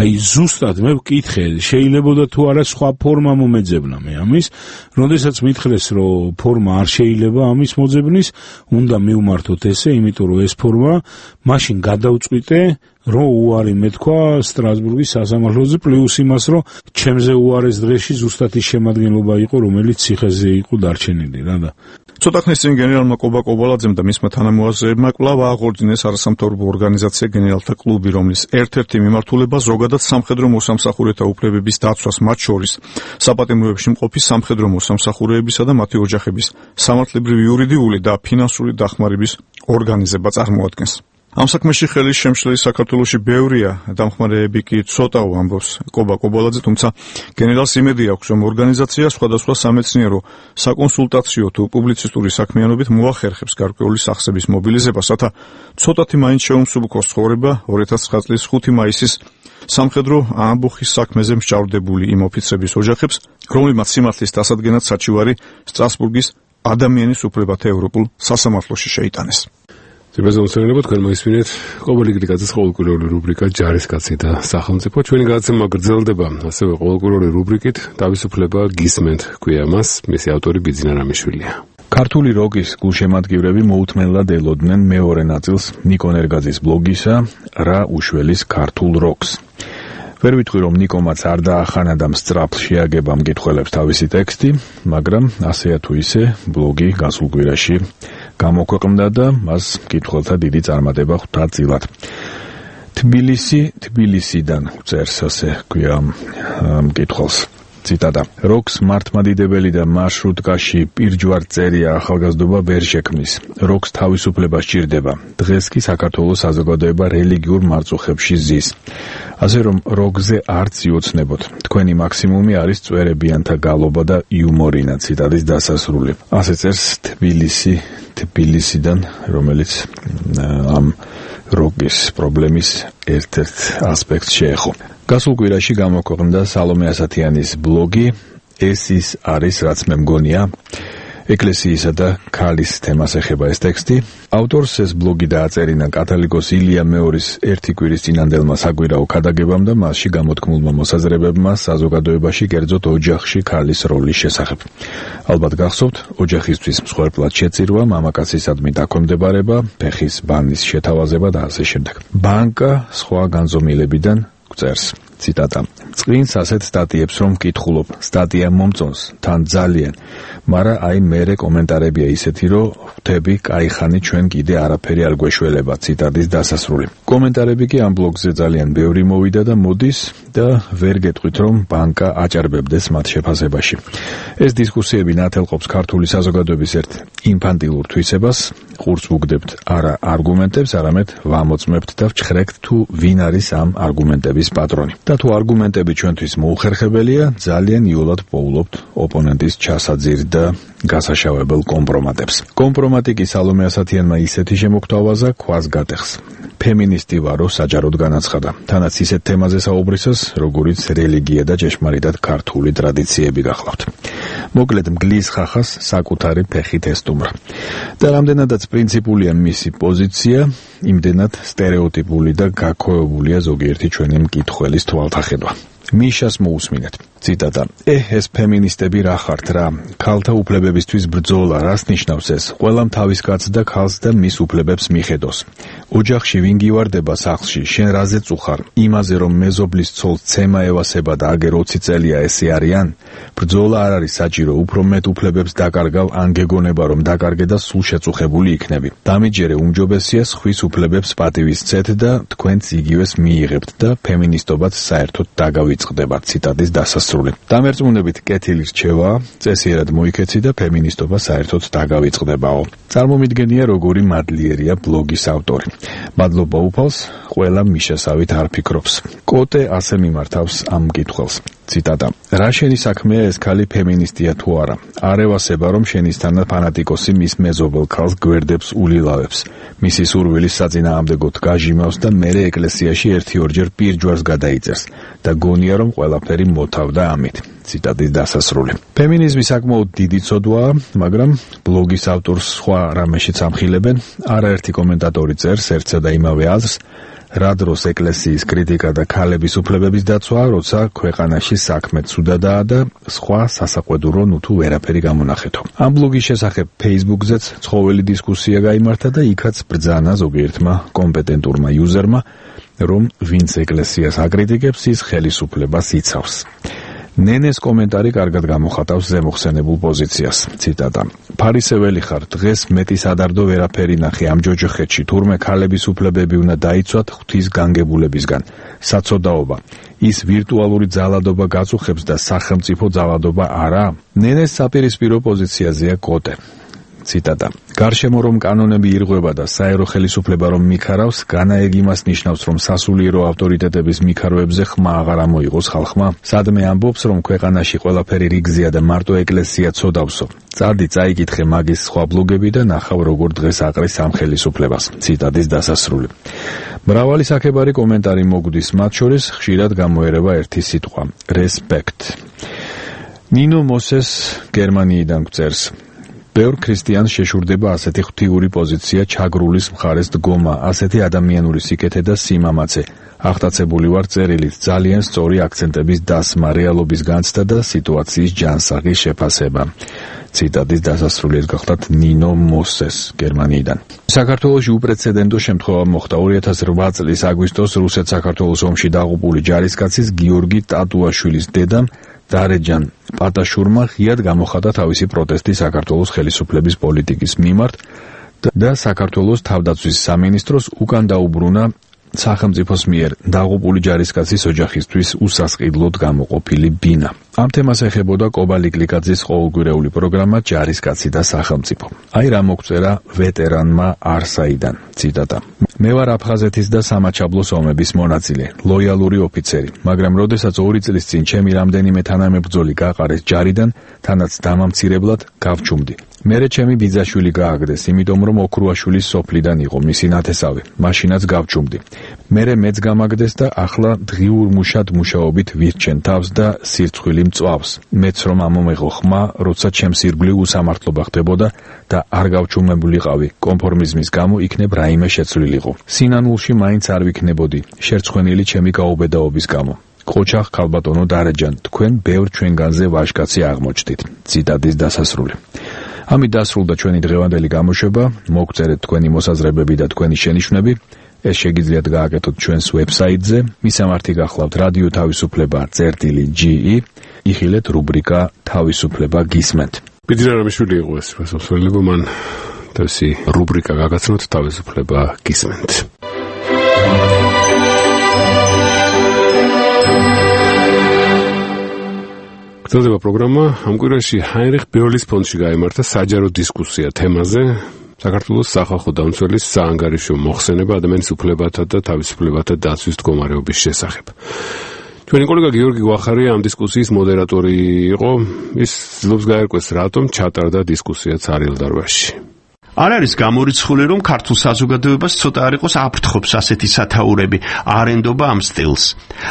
აი ზუსტად მე ვკითხე, შეიძლებოდა თუ არა სხვა ფორმა მომეძებნა მე ამის, როდესაც მითხრეს, რომ ფორმა არ შეიძლება ამის მოძებნის, უნდა მივმართოთ ესე, იმიტომ რომ ეს ფორმა მაშინ გადავწყვიტე რომ უარი მეთქვა სტრასბურგის სასამართლოზე, პლუს იმას, რომ ჩემზე უარეს დღეში ზუსტად ის შემადგენლობა იყო, რომელიც ციხეზე იყო დარჩენილი რა და ცოტა ხნის წინ გენერალმა კობა კობალაძემ და მისმა თანამოაზრეებმა კვლავ აღორძინეს არასამთავრობო ორგანიზაცია გენერალთა კლუბი, რომლის ერთ-ერთი მიმართულება ზოგადად სამხედრო მოსამსახურეთა უფლებების დაცვას, მათ შორის საპატიმროებში მყოფი სამხედრო მოსამსახურეებისა და მათი ოჯახების სამართლებრივი, იურიდიული და ფინანსური დახმარების ორგანიზება წარმოადგენს. ამ საქმეში ხელის შემშლელი საქართველოში ბევრია, დამხმარეები კი ცოტაო, ამბობს კობა კობალაძე, თუმცა გენერალს იმედი აქვს, რომ ორგანიზაცია სხვადასხვა სამეცნიერო, საკონსულტაციო თუ პუბლიცისტური საქმიანობით მოახერხებს გარკვეული სახსების მობილიზებას, რათა ცოტათი მაინც შეუმსუბუქოს ცხოვრება 2009 წლის 5 მაისის სამხედრო ამბოხის საქმეზე მსჯავრდებული იმ ოფიცრების ოჯახებს, რომლებმაც სიმართლის დასადგენად საჩივარი სტრასბურგის ადამიანის უფლებათა ევროპულ სასამართლოში შეიტანეს. ზებაზონცერნებო თქვენ მოისმინეთ ყოველი გლიკაძის ყოველკვირეული რუბრიკა ჯარისკაცი და სახელმწიფო. ჩვენი გადაცემა გრძელდება ასევე ყოველკვირეული რუბრიკით თავისუფლება გისმენთ ქვია მას, მისი ავტორი ბიძინა რამიშვილია. ქართული როკის გულშემატკივრები მოუთმენლად ელოდნენ მეორე ნაწილს ნიკო ნერგაძის ბლოგისა რა უშველის ქართულ როკს. ვერ ვიტყვი, რომ ნიკომაც არ დაახანა და სწრაფ შეაგება მკითხველებს თავისი ტექსტი, მაგრამ ასეა თუ ისე ბლოგი გასულ კვირაში გამოქვეყნდა და მას მკითხველთა დიდი წარმატება ხვდა წილად. თბილისიდან წერს ასე ქვია მკითხველს. ციტატა: როკს მართლმადიდებელი და მარშრუტკაში პირჯვარ წერია ახალგაზრდობა ვერ შექმნის. როკს თავისუფლება სჭირდება. დღეს კი საქართველოს საზოგადოება რელიგიურ მარწუხებში ზის. ასე რომ როკზე არც იოცნებოთ. თქვენი მაქსიმუმი არის წვერებიანთა გალობა და იუმორინა. ციტატის დასასრული. ასე წერს თბილისიდან, რომელიც ამ როკის პრობლემის ერთ-ერთ ასპექტს შეეხო. გასულ კვირაში გამოქვეყნდა სალომე ასათიანის ბლოგი ეს ის არის, რაც მე მგონია. ეკლესიისა და ქალის თემას ეხება ეს ტექსტი. ავტორს ეს ბლოგი დააწერინა კათოლიკოს ილია მეორის ერთი კვირის წინანდელმა საკვირაო ქადაგებამ და მასში გამოთქმულმა მოსაზრებებმა საზოგადოებაში, კერძოდ ოჯახში ქალის როლის შესახებ. ალბათ გახსოვთ, ოჯახისთვის მსხვერპლად შეწირვა, მამაკაცისადმი დაქვემდებარება, ფეხის ბანის შეთავაზება და ასე შემდეგ. ბანკა სხვა განზომილებიდან წერს. ციტატა. წვინს ასეთ სტატიებს რომ მკითხულობ, სტატია მომწონს, თან ძალიან, მაგრამ აი მერე კომენტარებია ისეთი, რომ ხვდები, კაიხანი ჩვენ კიდე არაფერი არ გვეშველება. ციტატის დასასრული. კომენტარები კი ამ ბლოგზე ძალიან ბევრი მოვიდა და მოდის და ვერ გეტყვით რომ ბანკა აჭარბებდეს მათ შეფასებაში. ეს დისკუსიები ნათელყოფს ქართული საზოგადოების ერთ ინფანტილურ თვისებას, ყურს უგდებთ არა არგუმენტებს, არამედ ვამოწმებთ და ვჩხრეკთ თუ ვინ არის ამ არგუმენტების პატრონი. და თუ არგუმენტები ჩვენთვის მოუხერხებელია, ძალიან იოლად პოულობთ ოპონენტის ჩასაძირ და გასაშავებელ კომპრომატებს. კომპრომატი კი სალომე ასათიანმა ისეთი შემოგთავაზა, ქვას გატეხს. ფემინისტი ვარო საჯაროდ განაცხადა. თანაც ისეთ თემაზე საუბრისას, როგორიც რელიგია და ჭეშმარიტად ქართული ტრადიციები გახლავთ. მოკლედ მგლის ხახას საკუთარი ფეხით ესტუმრა. და რამდენადაც პრინციპულია მისი პოზიცია, იმდენად სტერეოტიპული და გაქოებულია ზოგიერთი ჩვენი მკითხველის თვალთახედვა. მიშას მოусმინეთ. ციტატა. ეს ფემინისტები რა ხართ რა? ქალთა უფლებებისთვის ბრძოლა რას ნიშნავს ეს? ყველამ თავის კაცს და ქალს და მის უფლებებს მიხედოს. ოჯახში ვინ გივარდება სახლში, შენ რაზე წუხარ? იმაზე რომ მეზობლის ცოლს ცემა ევასება და აგერ 20 წელია ესე არიან? ბრძოლა არ არის საჭირო, უფრო მეტ უფლებებს დაკარგავ, ან გეგონება რომ დაკარგე და სულ შეწუხებული იქნები. დამიჯერე უმჯობესია ხვის უფლებებს პატივისცეთ და თქვენც იგივეს მიიღებთ და ფემინისტობაც საერთოდ დაგავიწყდება. ციტატის დასასრული. დამერწმუნებით კეთილი რჩევა, წესიერად მოიქეცი და ფემინისტობა საერთოდ დაგავიწყდებაო. წარმომიდგენია როგორი მადლიერია ბლოგის ავტორი. მადლობა უფალს, ყველა მიშასავით არ ფიქრობს. კოტე ასე მიმართავს ამ მკითხველს. ციტატა. რა შენი საქმეა ეს ქალი ფემინისტია თუ არა? არ ევასება რომ შენისთანა ფანატიკოსი მის მეზობელ ქალს გვერდებს ულილავებს. მისი სურვილის საწინააღმდეგოდ გაჟიმავს და მერე ეკლესიაში 1-2 პირჯვარს გადაიწერს და გონია რომ ყველაფერი მოთავდა ამით. ციტატის დასასრული. ფემინიზმი საკმაოდ დიდი ცოდვაა, მაგრამ ბლოგის ავტორს სხვა რამეშიც ამხილებენ. არაერთი კომენტატორი წერს ერთსა და იმავე აზრს, რა დროს ეკლესიის კრიტიკა და ქალების უფლებების დაცვა, როცა ქვეყანაში საქმე ცუდადაა და სხვა სასაყვედურო თუ ვერაფერი გამონახეთო. ამ ბლოგის შესახებ Facebook-ზეც ცხოველი დისკუსია გაიმართა და იქაც ბრძანა ზოგიერთმა კომპეტენტურმა იუზერმა, რომ ვინც ეკლესიას აკრიტიკებს, ის ხელისუფლებას იცავს. ნენეს კომენტარი კარგად გამოხატავს ზემოხსენებულ პოზიციას. ციტატა. ფარისეველი ხარ, დღეს მეტი სადარდო ვერაფერი ნახე ამ ჯოჯოხეთში, თურმე ქალების უფლებები უნდა დაიცვათ ღვთის განგებულებისგან. საცოდაობა. ის ვირტუალური ძალადობა გაწუხებს და სახელმწიფო ძალადობა არა? ნენეს საპირისპირო პოზიციაზეა კოტე. ციტატა. გარშემო რომ კანონები ირღვევა და საერო ხელისუფლება რომ მიქარავს, განაეგ იმას ნიშნავს, რომ სასულიერო ავტორიტეტების მიქარვებზე ხმა აღარ ამოიღოს ხალხმა. სადმე ამბობს, რომ ქვეყანაში ყველაფერი რიგზეა და მარტო ეკლესია ცოდავსო. წადი წაიკითხე მაგის სხვა ბლოგები და ნახავ როგორ დღეს აყრის ამ ხელისუფლებას. ციტატის დასასრული. მრავალი საქებარი კომენტარი მოგვდის, მათ შორის ხშირად გამოერევა ერთი სიტყვა: respect. ნინო მოსეს გერმანიიდან წერს. ბევრ ქრისტიანს შეშურდება ასეთი ღვთიური პოზიცია, ჩაგრულის მხარეს დგომა, ასეთი ადამიანური სიკეთე და სიმამაცე. აღტაცებული ვარ წერილით, ძალიან სწორი აქცენტების დასმა, რეალობის განცდა და სიტუაციის ჯანსაღი შეფასება. ციტატის დასასრული გახლავთ ნინო მოსეს გერმანიიდან. საქართველოში უპრეცედენტო შემთხვევა მოხდა 2008 წლის აგვისტოს რუსეთ-საქართველოს ომში დაღუპული ჯარისკაცის გიორგი ტატუაშვილის დედამ დარეჯან პატაშურმა ღიად გამოხატა თავისი პროტესტი საქართველოს ხელისუფლების პოლიტიკის მიმართ და საქართველოს თავდაცვის სამინისტროს უკან დაუბრუნა სახელმწიფოს მიერ დაღუპული ჯარისკაცის ოჯახისთვის უსასყიდლოდ გამოყოფილი ბინა. ამ თემას ეხებოდა კობა ლიკლიკაძის ყოველკვირეული პროგრამა ჯარისკაცი და სახელმწიფო. აი რა მოგწერა ვეტერანმა არსაიდან. ციტატა. მე ვარ აფხაზეთის და სამაჩაბლოს ომების მონაწილე, ლოიალური ოფიცერი, მაგრამ როდესაც 2 წლის წინ ჩემი რამდენიმე თანამებრძოლი გაყარეს ჯარიდან, თანაც დამამცირებლად გავჩუმდი. მერე ჩემი ბიძაშვილი გააგდეს, იმიტომ რომ ოქრუაშვილის სოფლიდან იყო მისი ნათესავი. მაშინაც გავჩუმდი. მერე მეც გამაგდეს და ახლა დღიურ მუშად მუშაობით ვირჩენ თავს და სირცხვილი მწვავს. მეც რომ ამომეღო ხმა, როცა ჩემს ირგვლივ უსამართლობა ხდებოდა და არ გავჩუმებულიყავი. კონფორმიზმის გამო იქნებ რაიმე შეცვლილიყო. სინანულში მაინც არ ვიქნებოდი, შერცხვენილი ჩემი გაუბედაობის გამო. ყოჩახ ქალბატონო დარეჯან, თქვენ ბევრ ჩვენგანზე ვაჟკაცი აღმოჩნდით. ციტატის დასასრული. ამით დასრულდა ჩვენი დღევანდელი გამოშვება. მოგწერეთ თქვენი მოსაზრებები და თქვენი შენიშვნები. ეს შეგიძლიათ გააკეთოთ ჩვენს ვებსაიტზე. მისამართი გახლავთ რადიო თავისუფლება წერტილი.ge. იხილეთ რუბრიკა თავისუფლება გისმენთ. ბიძრარამიშვილი იყო ეს მოსვლელება, მან თავისი რუბრიკა გაგაცნოთ თავისუფლება გისმენთ. გრძელდება პროგრამა. ამ კვირაში ჰაინრიხ ბეოლის ფონდში გაიმართა საჯარო დისკუსია თემაზე საქართველოს სახალხო დამცველის საანგარიშო მოხსენება ადამიანის უფლებათა და თავისუფლებათა დაცვის მდგომარეობის შესახებ. ჩვენი კოლეგა გიორგი გვახარია ამ დისკუსიის მოდერატორი იყო. ის ცდილობს გაერკვეს, რატომ ჩატარდა დისკუსია ცარიელდარბაზში. არ არის გამორიცხული, რომ ქართულ საზოგადოებას ცოტა არ იყოს აფრთხობს ასეთი სათაურები, არ ენდობა ამ სტილს.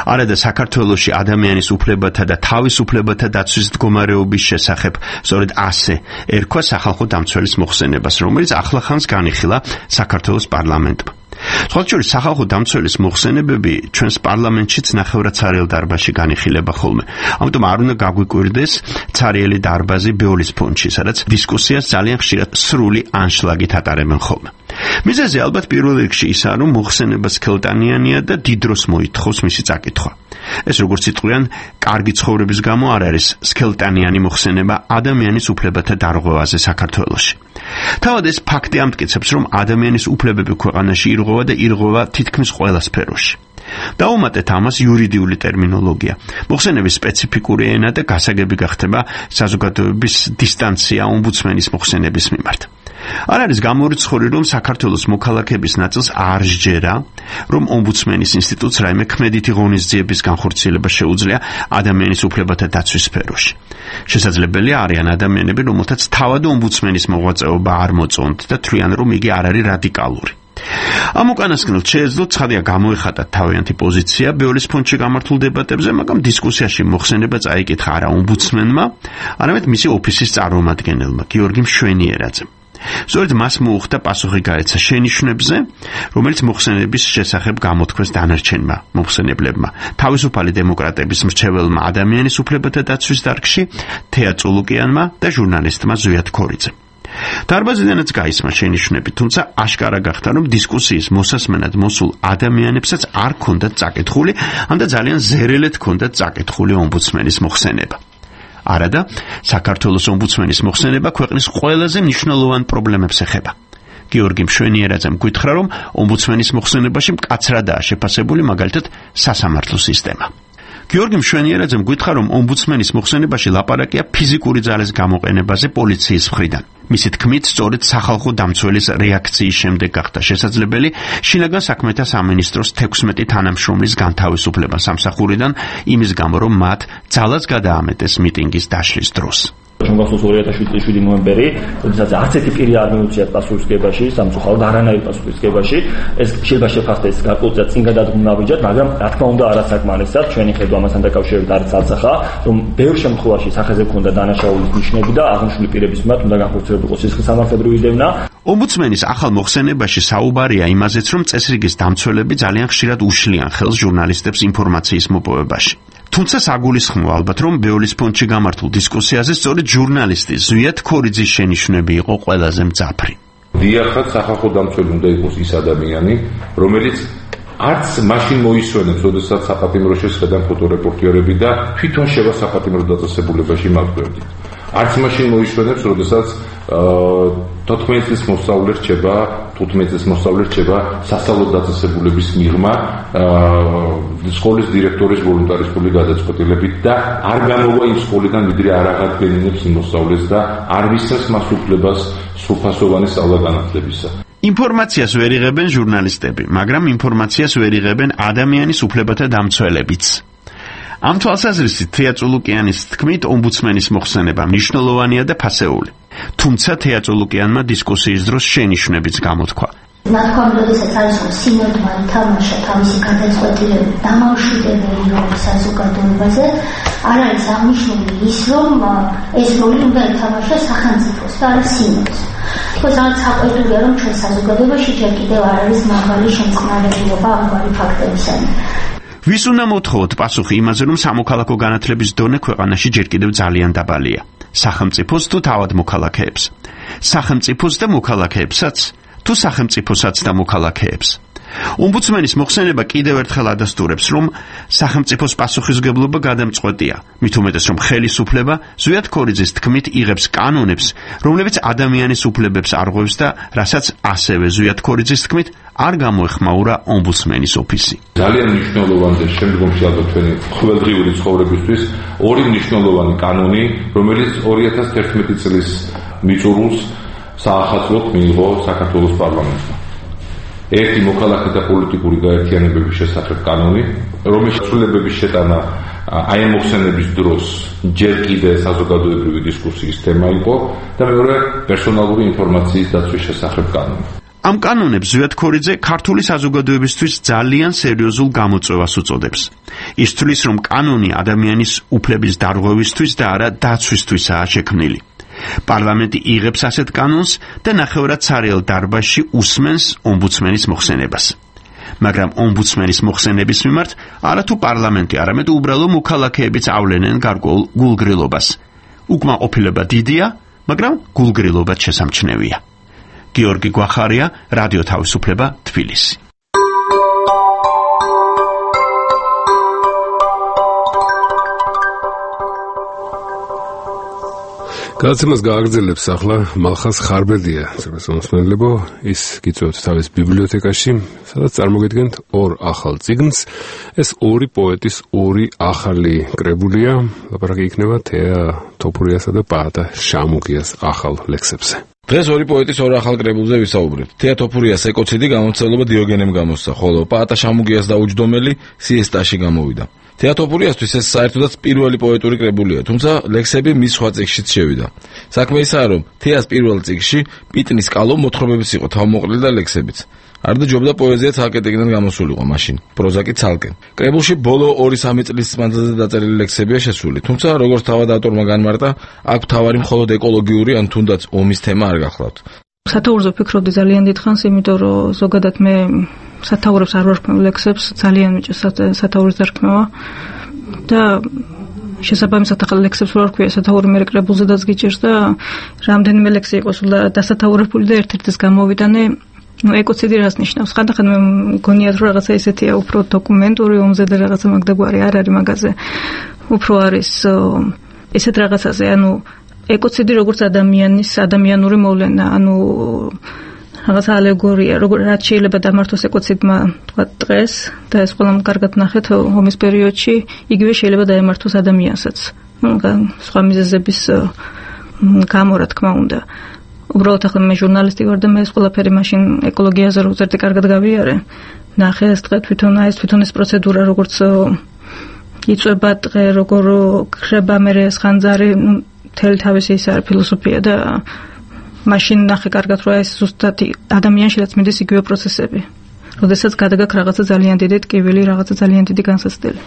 არადა საქართველოში ადამიანის უფლებათა და თავისუფლებათა დაცვის მდგომარეობის შესახებ, სწორედ ასე ერქვა სახალხო დამცველის მოხსენებას, რომელიც ახლახანს განიხილა საქართველოს პარლამენტმა. სხვათა შორის სახალხო დამცველის მოხსენებები ჩვენს პარლამენტშიც ნახევრად ცარიელ დარბაზში განიხილება ხოლმე. ამიტომ არ უნდა გაგვიკვირდეს ცარიელი დარბაზი ბეოლის ფონდში, სადაც დისკუსიას ძალიან ხშირად სრული ანშლაგით ატარებენ ხოლმე. მიზეზი ალბათ პირველ რიგში ისაა, რომ მოხსენება სქელტანიანია და დიდ დროს მოითხოვს მისი წაკითხვა. ეს როგორც იტყვიან, კარგი ცხოვრების გამო არ არის სქელტანიანი მოხსენება ადამიანის უფლებათა დარღვევაზე საქართველოში. თავად ეს ფაქტი ამტკიცებს, რომ ადამიანის უფლებები ქვეყანაში ირღვევა და ირღვევა თითქმის ყველა სფეროში. დაუმატეთ ამას იურიდიული ტერმინოლოგია. მოხსენების სპეციფიკური ენა და გასაგები გახდება საზოგადოების დისტანცია ომბუდსმენის მოხსენების მიმართ. არ არის გამორიცხული, რომ საქართველოს მოქალაქეების ნაწილს არ სჯერა, რომ ომბუდსმენის ინსტიტუტს რაიმე ქმედითი ღონისძიების განხორციელება შეუძლია ადამიანის უფლებათა დაცვის სფეროში. შესაძლებელია არიან ადამიანები, რომელთაც თავად ომბუდსმენის მოღვაწეობა არ მოწონთ და თვლიან, რომ იგი არ არის რადიკალური. ამ უკანასკნელს შეეძლო ცხადია გამოეხატა თავიანთი პოზიცია ბეოლის ფონდში გამართულ დებატებზე, მაგრამ დისკუსიაში მოხსენება წაიკითხა არა ომბუდსმენმა, არამედ მისი ოფისის წარმომადგენელმა გიორგი მშვენიერაძემ. სწორედ მას მოუხდა პასუხი გაეცა შენიშვნებზე, რომელიც მოხსენების შესახებ გამოთქვეს დანარჩენმა მოხსენებლებმა, თავისუფალი დემოკრატების მრჩეველმა ადამიანის უფლებათა დაცვის დარგში თეა წულუკიანმა და ჟურნალისტმა ზვიად ქორიძემ. დარბაზიდანაც გაისმა შენიშვნები, თუმცა აშკარა გახდა, რომ დისკუსიის მოსასმენად მოსულ ადამიანებსაც არ ქონდათ წაკითხული, ამდა ძალიან ზერელად ქონდათ წაკითხული ომბუდსმენის მოხსენება. არადა, საქართველოს ომბუდსმენის მოხსენება ქვეყნის ყველაზე მნიშვნელოვან პრობლემებს ეხება. გიორგი მშვენიერაძემ გითხრა, რომ ომბუდსმენის მოხსენებაში მკაცრადაა შეფასებული მაგალითად სასამართლო სისტემა. გიორგი მშვენიერაძემ გითხრა, რომ ომბუდსმენის მოხსენებაში ლაპარაკია ფიზიკური ძალის გამოყენებაზე პოლიციის მხრიდან. მისი თქმით, სწორედ სახალხო დამცველის რეაქციის შემდეგ გახდა შესაძლებელი შინაგან საქმეთა სამინისტროს 16 თანამშრომლის განთავისუფლება სამსახურიდან იმის გამო, რომ მათ ძალას გადაამეტეს მიტინგის დაშლის დროს. Შემდგომს 2017 ნოემბერი, როდესაც არც ერთი პირი არ მიუწია პასუხისგებაში, სამწუხაროდ არანაირ პასუხისგებაში, ეს შეიძლება შეფასდეს გარკვეულწილად წინ გადადგმულობიჯად, მაგრამ რა თქმა უნდა არასაკმარისად, ჩვენი ხედვა ამასთან დაკავშირებით არის ცალსახა, რომ ბევრ შემთხვევაში სახეზე ქონდა დანაშაულის ნიშნები და აღნიშნული პირების მიმართ უნდა განხორციელებულიყო სისხლისამართლებრივი დევნა. ომბუდსმენის ახალ მოხსენებაში საუბარია იმაზეც, რომ წესრიგის დამცველები ძალიან ხშირად უშლიან ხელს ჟურნალისტებს ინფორმაციის მოპოვებაში. თუმცა საგულისხმოა ალბათ, რომ ბეოლის ფონდში გამართულ დისკუსიაზე სწორედ ჟურნალისტი ზვიად ქორიძის შენიშვნები იყო ყველაზე მძაფრი. დიახაც, სახალხო დამცველი უნდა იყოს ის ადამიანი, რომელიც არც მაშინ მოისვენებს, როდესაც საპატიმრო შესხედან ფოტორეპორტიორები და თვითონ შევა საპატიმრო დაწესებულებაში მაგდრებდით. არც მაშინ მოისვენებს, როდესაც 14 წლის მოსწავლე რჩება, 15 წლის მოსწავლე რჩება სასწავლო დაწესებულების მიღმა სკოლის დირექტორის ვოლუნტარისტული გადაწყვეტილებით და არ გამოვა იმ სკოლიდან ვიდრე არ აღადგენინებს იმ მოსწავლეს და არ მისცემს მას უფლებას სრულფასოვანი სწავლა-განათლებისა. ინფორმაციას ვერ იღებენ ჟურნალისტები, მაგრამ ინფორმაციას ვერ იღებენ ადამიანის უფლებათა დამცველებიც. ამ თვალსაზრისით თეა წულუკიანის თქმით, ომბუდსმენის მოხსენება მნიშვნელოვანია და ფასეული. თუმცა თეატოლოგიანმა დისკუსიის დროს შენიშვნებიც გამოთქვა. ნათქვამი, როდესაც არის რომ სინოდმა ითამაშა თავისი გადაწყვეტილება დამამშვიდებელი როლი საზოგადოებაზე, არ არის აღნიშნული ის, რომ ეს როლი უნდა ითამაშოს სახელმწიფოს და არა სინოდს. თქოს რაღაც საყვედურია, რომ ჩვენ საზოგადოებაში ჯერ კიდევ არ არის მაღალი შემწყნარებლობა ამგვარი ფაქტებისადმი. ვის უნდა მოთხოვოთ პასუხი იმაზე, რომ სამოქალაქო განათლების დონე ქვეყანაში ჯერ კიდევ ძალიან დაბალია? სახელმწიფოს თუ თავად მოქალაქეებს? სახელმწიფოს და მოქალაქეებსაც? თუ სახელმწიფოსაც და მოქალაქეებს? ომბუდსმენის მოხსენება კიდევ ერთხელ ადასტურებს, რომ სახელმწიფოს პასუხისმგებლობა გადამწყვეტია, მით უმეტეს, რომ ხელისუფლება ზვიად ქორიძის თქმით იღებს კანონებს, რომლებიც ადამიანის უფლებებს არღვევს და რასაც ასევე ზვიად ქორიძის თქმით არ გამოეხმაურა ომბუდსმენის ოფისი. ძალიან მნიშვნელოვანია შემდგომში ალბათ თქვენი ყოველდღიური ცხოვრებისთვის ორი მნიშვნელოვანი კანონი, რომელიც 2011 წლის მიწურულს საახალწლოდ მიიღო საქართველოს პარლამენტმა. ერთი მოქალაქეთა პოლიტიკური გაერთიანებების შესახებ კანონი, რომლის ცვლილებების შეტანა აი ამ მოხსენების დროს ჯერ კიდე საზოგადოებრივი დისკუსიის თემა იყო და მეორე პერსონალური ინფორმაციის დაცვის შესახებ კანონი. ამ კანონებს ზვიად ქორიძე ქართული საზოგადოებისთვის ძალიან სერიოზულ გამოწვევას უწოდებს. ის თვლის, რომ კანონი ადამიანის უფლების დარღვევისთვის და არა დაცვისთვისაა შექმნილი. პარლამენტი იღებს ასეთ კანონს და ნახევრად სარიელ დარბაზში უსმენს ომბუდსმენის მოხსენებას. მაგრამ ომბუდსმენის მოხსენების მიმართ არათუ პარლამენტი, არამედ უბრალო მოქალაქეებიც ავლენენ გარკვეულ გულგრილობას. უკმაყოფილება დიდია, მაგრამ გულგრილობაც შესამჩნევია. გიორგი გვახარია, რადიო თავისუფლება, თბილისი. გადაცემას გააგრძელებს ახლა მალხაზ ხარბელდია, მოსმენლებო, ის გიწევთ თავის ბიბლიოთეკაში, სადაც წარმოგიდგენთ ორ ახალ წიგნს. ეს ორი პოეტის ორი ახალი კრებულია, ლაპარაკი იქნება თეა თოფურიასა და პაატა შამუგიას ახალ ლექსებზე. დღეს ორი პოეტის ორ ახალ კრებულზე ვისაუბრებთ. თეა თოფურიას ეკოციდი გამოცდილება დიოგენემ გამოსცა, ხოლო პაატა შამუგიას დაუჯდომელი სიესტაში გამოვიდა. თეა თოფურიასთვის ეს საერთოდაც პირველი პოეტური კრებულია, თუმცა ლექსები მის სხვა წიგნშიც შევიდა. საქმე ისაა, რომ თეას პირველ წიგნში პიტნის კალო მოთხრობებიც იყო, თავმოყრილი და ლექსებიც. არ დაჯობდა პოეზია ცალკე ტიგნად გამოსულიყო მაშინ, პროზა კი ცალკე. კრებულში ბოლო 2-3 წლის მანძილზე დაწერილი ლექსებია შესული, თუმცა როგორც თავად ავტორმა განმარტა, აქ თავარი მხოლოდ ეკოლოგიური ან თუნდაც ომის თემა არ გახლავთ. სათაურზე ვფიქრობდი ძალიან დიდხანს, იმიტომ რომ ზოგადად მე სათაურებს არ ვარქმევ ლექსებს, ძალიან მიჭირს სათაურის დარქმევა და შესაბამისად ახლა ლექსებს ვარ ქვია სათაური მე კრებულზე დაგიჭირს და რამდენიმე ლექსი იყო სულ დასათაურებული და ერთ-ერთის გამოვიდანე. ეკოციდი რას ნიშნავს? ხანდახან მე მგონიათ რომ რაღაცა ისეთია უფრო დოკუმენტური ომზე და რაღაცა მაგდაგვარი არ არის მაგაზე. უფრო არის ესეთ რაღაცაზე, ანუ ეკოციდი როგორც ადამიანური მოვლენა, ანუ რაღაც ალეგორია, რაც შეიძლება დამართოს ეკოციდმა თქვა დღეს და ეს ყველამ კარგად ნახეთ ომის პერიოდში, იგივე შეიძლება დაემართოს ადამიანსაც. სხვა მიზეზების გამო რა თქმა უნდა. უბრალოდ ახლა მე ჟურნალისტი ვარ და მე ეს ყველაფერი მაშინ ეკოლოგიაზე რო ზერტი კარგად გავიარე. ნახე ეს დღე თვითონ ეს პროცედურა როგორც იწვება დღე, როგორ ხრება მე ეს ხანძარი, მთელი თავისი ის არის ფილოსოფია და მაშინ ნახე კარგად რომ ეს ზუსტად ადამიანშიც მიდის იგივე პროცესები. როდესაც გადაგაქვს რაღაცა ძალიან დიდი ტკივილი, რაღაცა ძალიან დიდი განსაცდელი.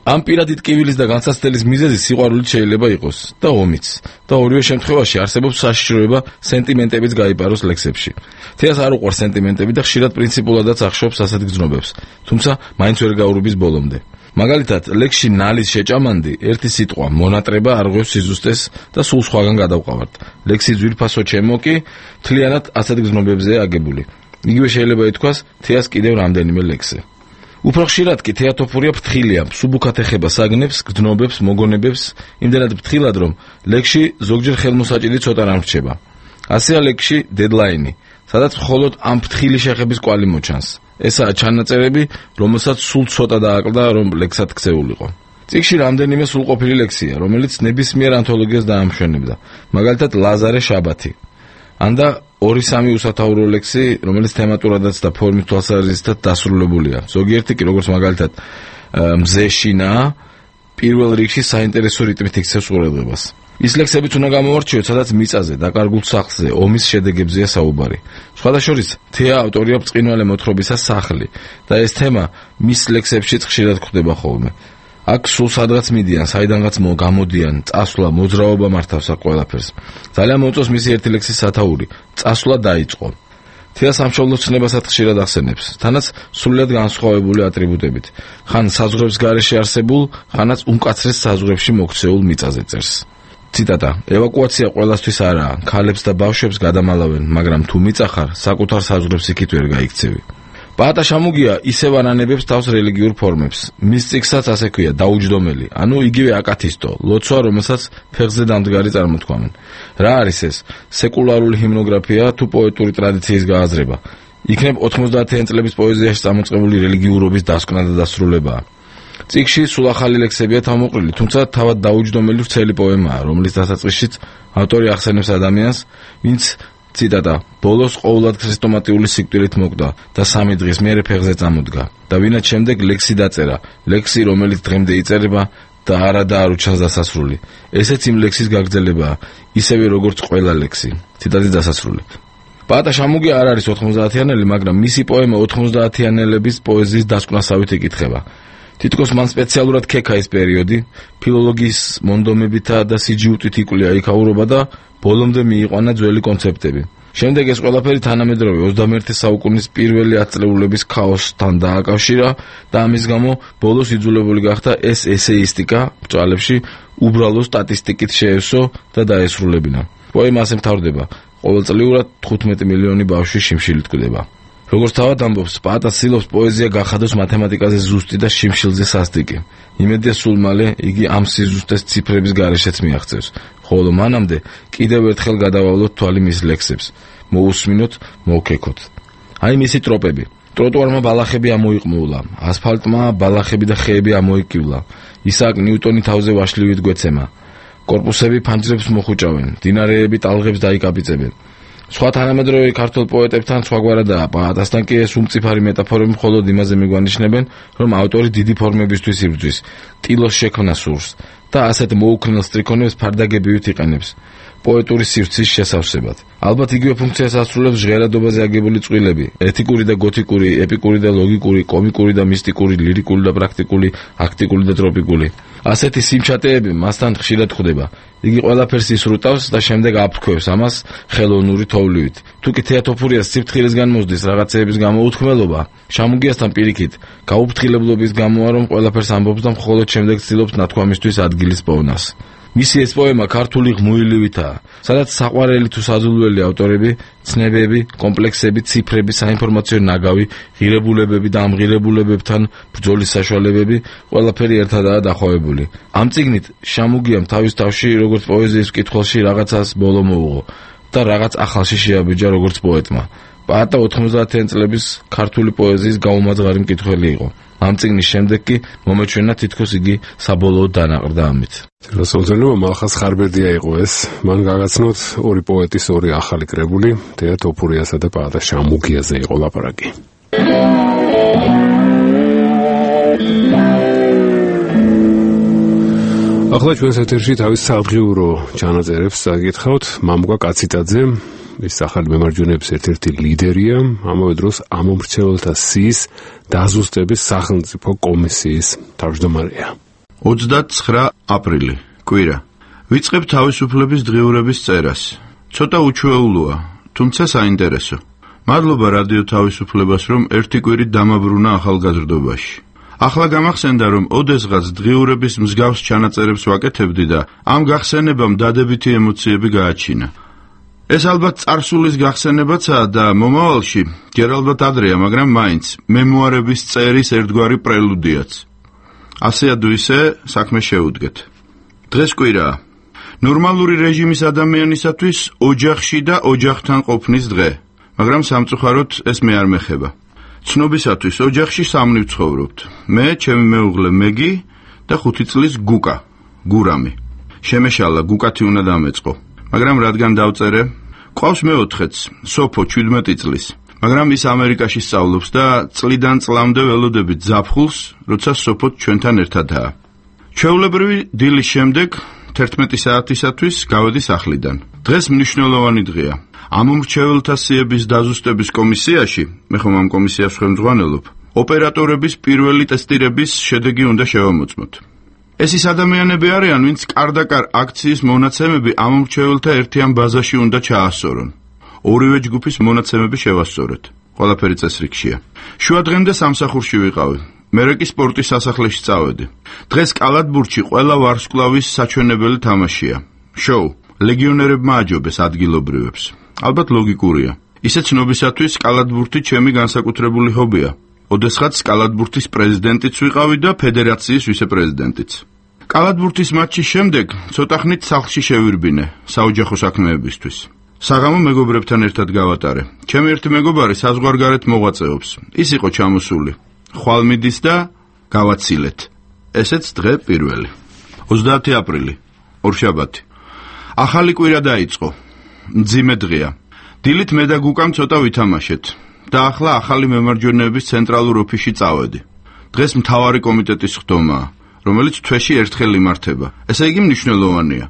ამ პირადი ტკივილის და განსაცდელის მიზეზი სიყვარულით შეიძლება იყოს და ომიც. და ორივე შემთხვევაში არსებობს საშიშროება სენტიმენტებიც გაიპაროს ლექსებში. თეას არ უყვარს სენტიმენტები და ხშირად პრინციპულადაც ახშობს ასეთ გზნობებს, თუმცა მაინც ვერ გაურბის ბოლომდე. მაგალითად, ლექსში ნალის შეჭამანდი ერთი სიტყვა მონატრება არღვევს სიზუსტეს და სულ სხვაგან გადავყავართ. ლექსი ძვირფასო ჩემო კი მთლიანად ასეთ გზნობებზეა აგებული. იგივე შეიძლება ითქვას თეას კიდევ რამდენიმე ლექსზე. უფრო ხშირად კი თეა თოფურია ფრთხილია, მსუბუქად ეხება საგნებს, გრძნობებს, მოგონებებს, იმდენად ფრთხილად, რომ ლექსში ზოგჯერ ხელმოსაჭირი ცოტა რამ რჩება. ასეა ლექსში დედლაინი, სადაც მხოლოდ ამ ფრთხილი შეხების კვალი მოჩანს. ესაა ჩანაწერები, რომელსაც სულ ცოტა დააკლდა, რომ ლექსად ქცეულიყო. წიგნში რამდენიმე სრულყოფილი ლექსია, რომელიც ნებისმიერ ანთოლოგიას დაამშვენებდა. მაგალითად, ლაზარე შაბათი. ანდა 2-3 უსათაურო ლექსი, რომელიც თემატურადაც და ფორმით თვალსაზრისით დასრულებულია. ზოგიერთი კი, როგორც მაგალითად, მზეშინა, პირველ რიგში საინტერესო რიტმით იქცევს ყურადღებას. ის ლექსებიც უნდა გამოვარჩიოთ, სადაც მიწაზე, დაკარგულ სახლზე, ომის შედეგებზეა საუბარი. სხვადასხვა თეა ავტორია ბრწყინვალე მოთხრობისა სახლი და ეს თემა მის ლექსებშიც ხშირად გვხვდება ხოლმე. აქ სულ სადღაც მიდიან, საიდანღაც გამოდიან, წასვლა, მოძრაობა მართავს აქ ყველაფერს. ძალიან მოუწევს მისი ერთი ლექსის სათაური, წასვლა დაიწყო. თეა სამშობლოს ცნებასაც ხშირად ახსენებს, თანაც სრულიად განსხვავებული ატრიბუტებით. ხან საზღვრების გარეშე არსებულ, ხანაც უმკაცრეს საზღვრებში მოქცეულ მიწაზე წერს. ციტატა: ევაკუაცია ყველასთვის არაა, ქალებს და ბავშვებს გადამალავენ, მაგრამ თუ მიწახარ, საკუთარ საზღვრებს იქით ვერ გაიქცევი. პაატა შამუგია ისევ ანანებებს თავს რელიგიურ ფორმებს. მის წიგნსაც ასე ქვია, დაუჯდომელი, ანუ იგივე აკათისტო, ლოცვა, რომელსაც ფეხზე დამდგარი წარმოთქვამენ. რა არის ეს? სეკულარული ჰიმნოგრაფია თუ პოეტური ტრადიციის გააზრება? იქნებ 90-იან წლების პოეზიაში წამოწყებული რელიგიურობის დასკვნა და დასრულებაა. წიგნში სულ ახალი ლექსებია თავმოყრილი, თუმცა თავად დაუჯდომელი ვრცელი პოემაა, რომლის დასაწყისშიც ავტორი ახსენებს ადამიანს, ვინც ციტატა: ბოლოს ყოვლად ქრესტომატიული სიკვდილით მოკვდა და 3 დღის მერე ფეხზე წამოდგა და ვინაც შემდეგ ლექსი დაწერა, ლექსი რომელიც დღემდე იწერება და არადა არ უჩანს დასასრული. ესეც იმ ლექსის გაგრძელებაა, ისევე როგორც ყველა ლექსი. ციტატის დასასრული. პაატა შამუგია არ არის 90-იანელი, მაგრამ მისი პოემა 90-იანელების პოეზიის დასკვნასავით იკითხება. თითქოს მან სპეციალურად ქექა ეს პერიოდი, ფილოლოგიის მონდომებითა და სიჯიუტით იკვლია იქაურობა და ბოლომდე მიიყვანა ძველი კონცეფტები. შემდეგ ეს ყველაფერი თანამედროვე 21 საუკუნის პირველი ათწლეულების ქაოსთან დააკავშირა და ამის გამო ბოლოს იძულებული გახდა ეს ესეისტიკა ბრძოლებში უბრალო სტატისტიკით შეესო და დაესრულებინა. პოემა ასე მთავრდება: ყოველწლიურად 15 მილიონი ბავშვი შიმშილით კვდება. როგორც თავად ამბობს, პაატა ცდილობს პოეზია გახადოს მათემატიკაზე ზუსტი და შიმშილზე სასტიკი. იმედია სულ მალე იგი ამ სიზუსტეს ციფრების გარეშეც მიაღწევს, ხოლო მანამდე კიდევ ერთხელ გადავალოთ თვალი მის ლექსებს, მოусმინოთ, მოვქეკოთ. აი მისი ტროპები. ტროტუარმა ბალახები ამოიყმულა, ასფალტმა ბალახები და ხეები ამოიკივლა. ისააკ ნიუტონი თავზე ვაშლივით გვეცემა. კორპუსები ფანჯრებს მოხუჭავენ, დინარეები ტალღებს დაიკაპიცებენ. სხვა თანამედროვე ქართულ პოეტებთან სხვაგვარადაა, პაატასთან კი ეს უმწიფარი მეტაფორები მხოლოდ იმაზე მიგვანიშნებენ, რომ ავტორი დიდი ფორმებისთვის იბრძვის, ტილოს შექმნას სურს და ასეთ მოუქნელ სტრიქონებს ფარდაგებივით იყენებს პოეტური სივრცის შესავსებად. ალბათ იგივე ფუნქციას ასრულებს ჟღერადობაზე აგებული წყვილები, ეთიკური და გოთიკური, ეპიკური და ლოგიკური, კომიკური და მისტიკური, ლირიკული და პრაქტიკული, აქტიკური და ტროპიკული. ასეთი სიმჩატეები მასთან ხშირად ხვდება. იგი ყველაფერს ისრუტავს და შემდეგ აფრქვევს ამას ხელოვნური თოვლივით. თუ კი თეატოფურიას სიფრთხილისგან მოსდის რაღაცეების გამოუთქმელობა, შამუგიასთან პირიქით, გაუფრთხილებლობის გამოა, რომ ყველაფერს ამბობს და მხოლოდ შემდეგ ცდილობს ნათქვამისთვის ადგილის პოვნას. მისი ეს პოემა ქართული ღმუილივითაა, სადაც საყვარელი თუ საზულველი ავტორები, ცნებები, კომპლექსები, ციფრები, საინფორმაციო ნაგავი, ღირებულებები და ამ ღირებულებებთან ბრძოლის საშუალებები ყველაფერი ერთადაა დახვევებული. ამ წიგნით შამუგიამ თავის თავში როგორც პოეზიის მკითხველში რაღაცას ბოლო მოუღო და რაღაც ახალში შეაბეჯა როგორც პოეტმა. პაატა 90-იან წლების ქართული პოეზიის გაუმაძღარი მკითხველი იყო. ამ წიგნის შემდეგ კი მომეჩვენა თითქოს იგი საბოლოოდ დანაყრდა ამით. რასაუზენო მალხას ხარბერდია იყო ეს. მან გაგაცნოთ ორი პოეტის ორი ახალი კრებული, თეა თოფურიასა და პაატა შამუგიაზე იყო ლაპარაკი. ახლა ჩვენს ეთერში თავის საღვიურო ჩანაწერებს წაგითხავთ მამუკა კაციტაძე. ის ახალი მემარჯვენეების ერთ-ერთი ლიდერია, ამავე დროს ამომრჩეველთა სიის დაზუსტების სახელმწიფო კომისიის თავმჯდომარეა. 29 აპრილი, კვირა. ვიწყებ თავისუფლების დღიურების წერას. ცოტა უჩვეულოა, თუმცა საინტერესო. მადლობა რადიო თავისუფლებას, რომ ერთი კვირით დამაბრუნა ახალგაზრდობაში. ახლა გამახსენდა, რომ ოდესღაც დღიურების მსგავს ჩანაწერებს ვაკეთებდი და ამ გახსენებამ დადებითი ემოციები გააჩინა. ეს ალბათ წარსულის გახსენებაცაა და მომავალში, გერალბათ ადრეა, მაგრამ მაინც მემუარების წერის ერთგვარი პრელუდიაც. ასე თუ ისე საქმე შეუდგეთ. დღეს კვირაა. ნორმალური რეჟიმის ადამიანისათვის ოჯახში და ოჯახთან ყოფნის დღე, მაგრამ სამწუხაროდ ეს მე არ მეხება. ცნობისათვის ოჯახში სამნი ვცხოვრობთ. მე, ჩემი მეუღლე მეგი და 5 წლის გუკა, გურამი. შემეშალა გუკათი უნდა დამეწყო. მაგრამ რადგან დავწერე, ყავს მეოთხეც, სოფო 17 წლის. მაგრამ ის ამერიკაში სწავლობს და წლიდან წლამდე ველოდებით ზაფხულს, როცა სოფო ჩვენთან ერთადაა. ჩვეულებრივი დილის შემდეგ 11 საათისათვის გავედი სახლიდან. დღეს მნიშვნელოვანი დღეა. ამომრჩეველთა სიების დაზუსტების კომისიაში, მე ხომ ამ კომისიას ხელმძღვანელობ, ოპერატორების პირველი ტესტირების შედეგი უნდა შევამოწმოთ. ეს ის ადამიანები არიან, ვინც კარდაკარ აქციის მონაცემები ამომრჩეველთა ერთიან ბაზაში უნდა ჩაასწორონ. ორივე ჯგუფის მონაცემები შევასწორეთ. ყველაფერი წესრიგშია. შუადღემდე სამსახურში ვიყავი. მერე კი სპორტის სასახლეში წავედი. დღეს კალათბურთში ყველა ვარსკვლავის საჩვენებელი თამაშია. შოუ. ლეგიონერებმა აჯობეს ადგილობრივებს. ალბათ ლოგიკურია. ისე ცნობისათვის კალათბურთი ჩემი განსაკუთრებული ჰობია. ოდესღაც კალათბურთის პრეზიდენტიც ვიყავი და ფედერაციის ვიცე-პრეზიდენტიც. კალათბურთის მატჩის შემდეგ ცოტა ხნით სახლში შევირბინე საოჯახო საქმეებისთვის. საღამო მეგობრებთან ერთად გავატარე. ჩემი ერთი მეგობარი საზღვარგარეთ მოღვაწეობს. ის იყო ჩამოსული. ხვალ მიდის და გავაცილეთ. ესეც დღე პირველი. 30 აპრილი, ორშაბათი. ახალი კვირა დაიწყო. მძიმე დღეა. დილით მე და გუკამ ცოტა ვითამაშეთ და ახლა ახალი მემარჯვენეების ცენტრალურ ოფისში წავედი. დღეს მთავარი კომიტეტის ხდომაა, რომელიც თვეში ერთხელ იმართება. ესე იგი მნიშვნელოვანია.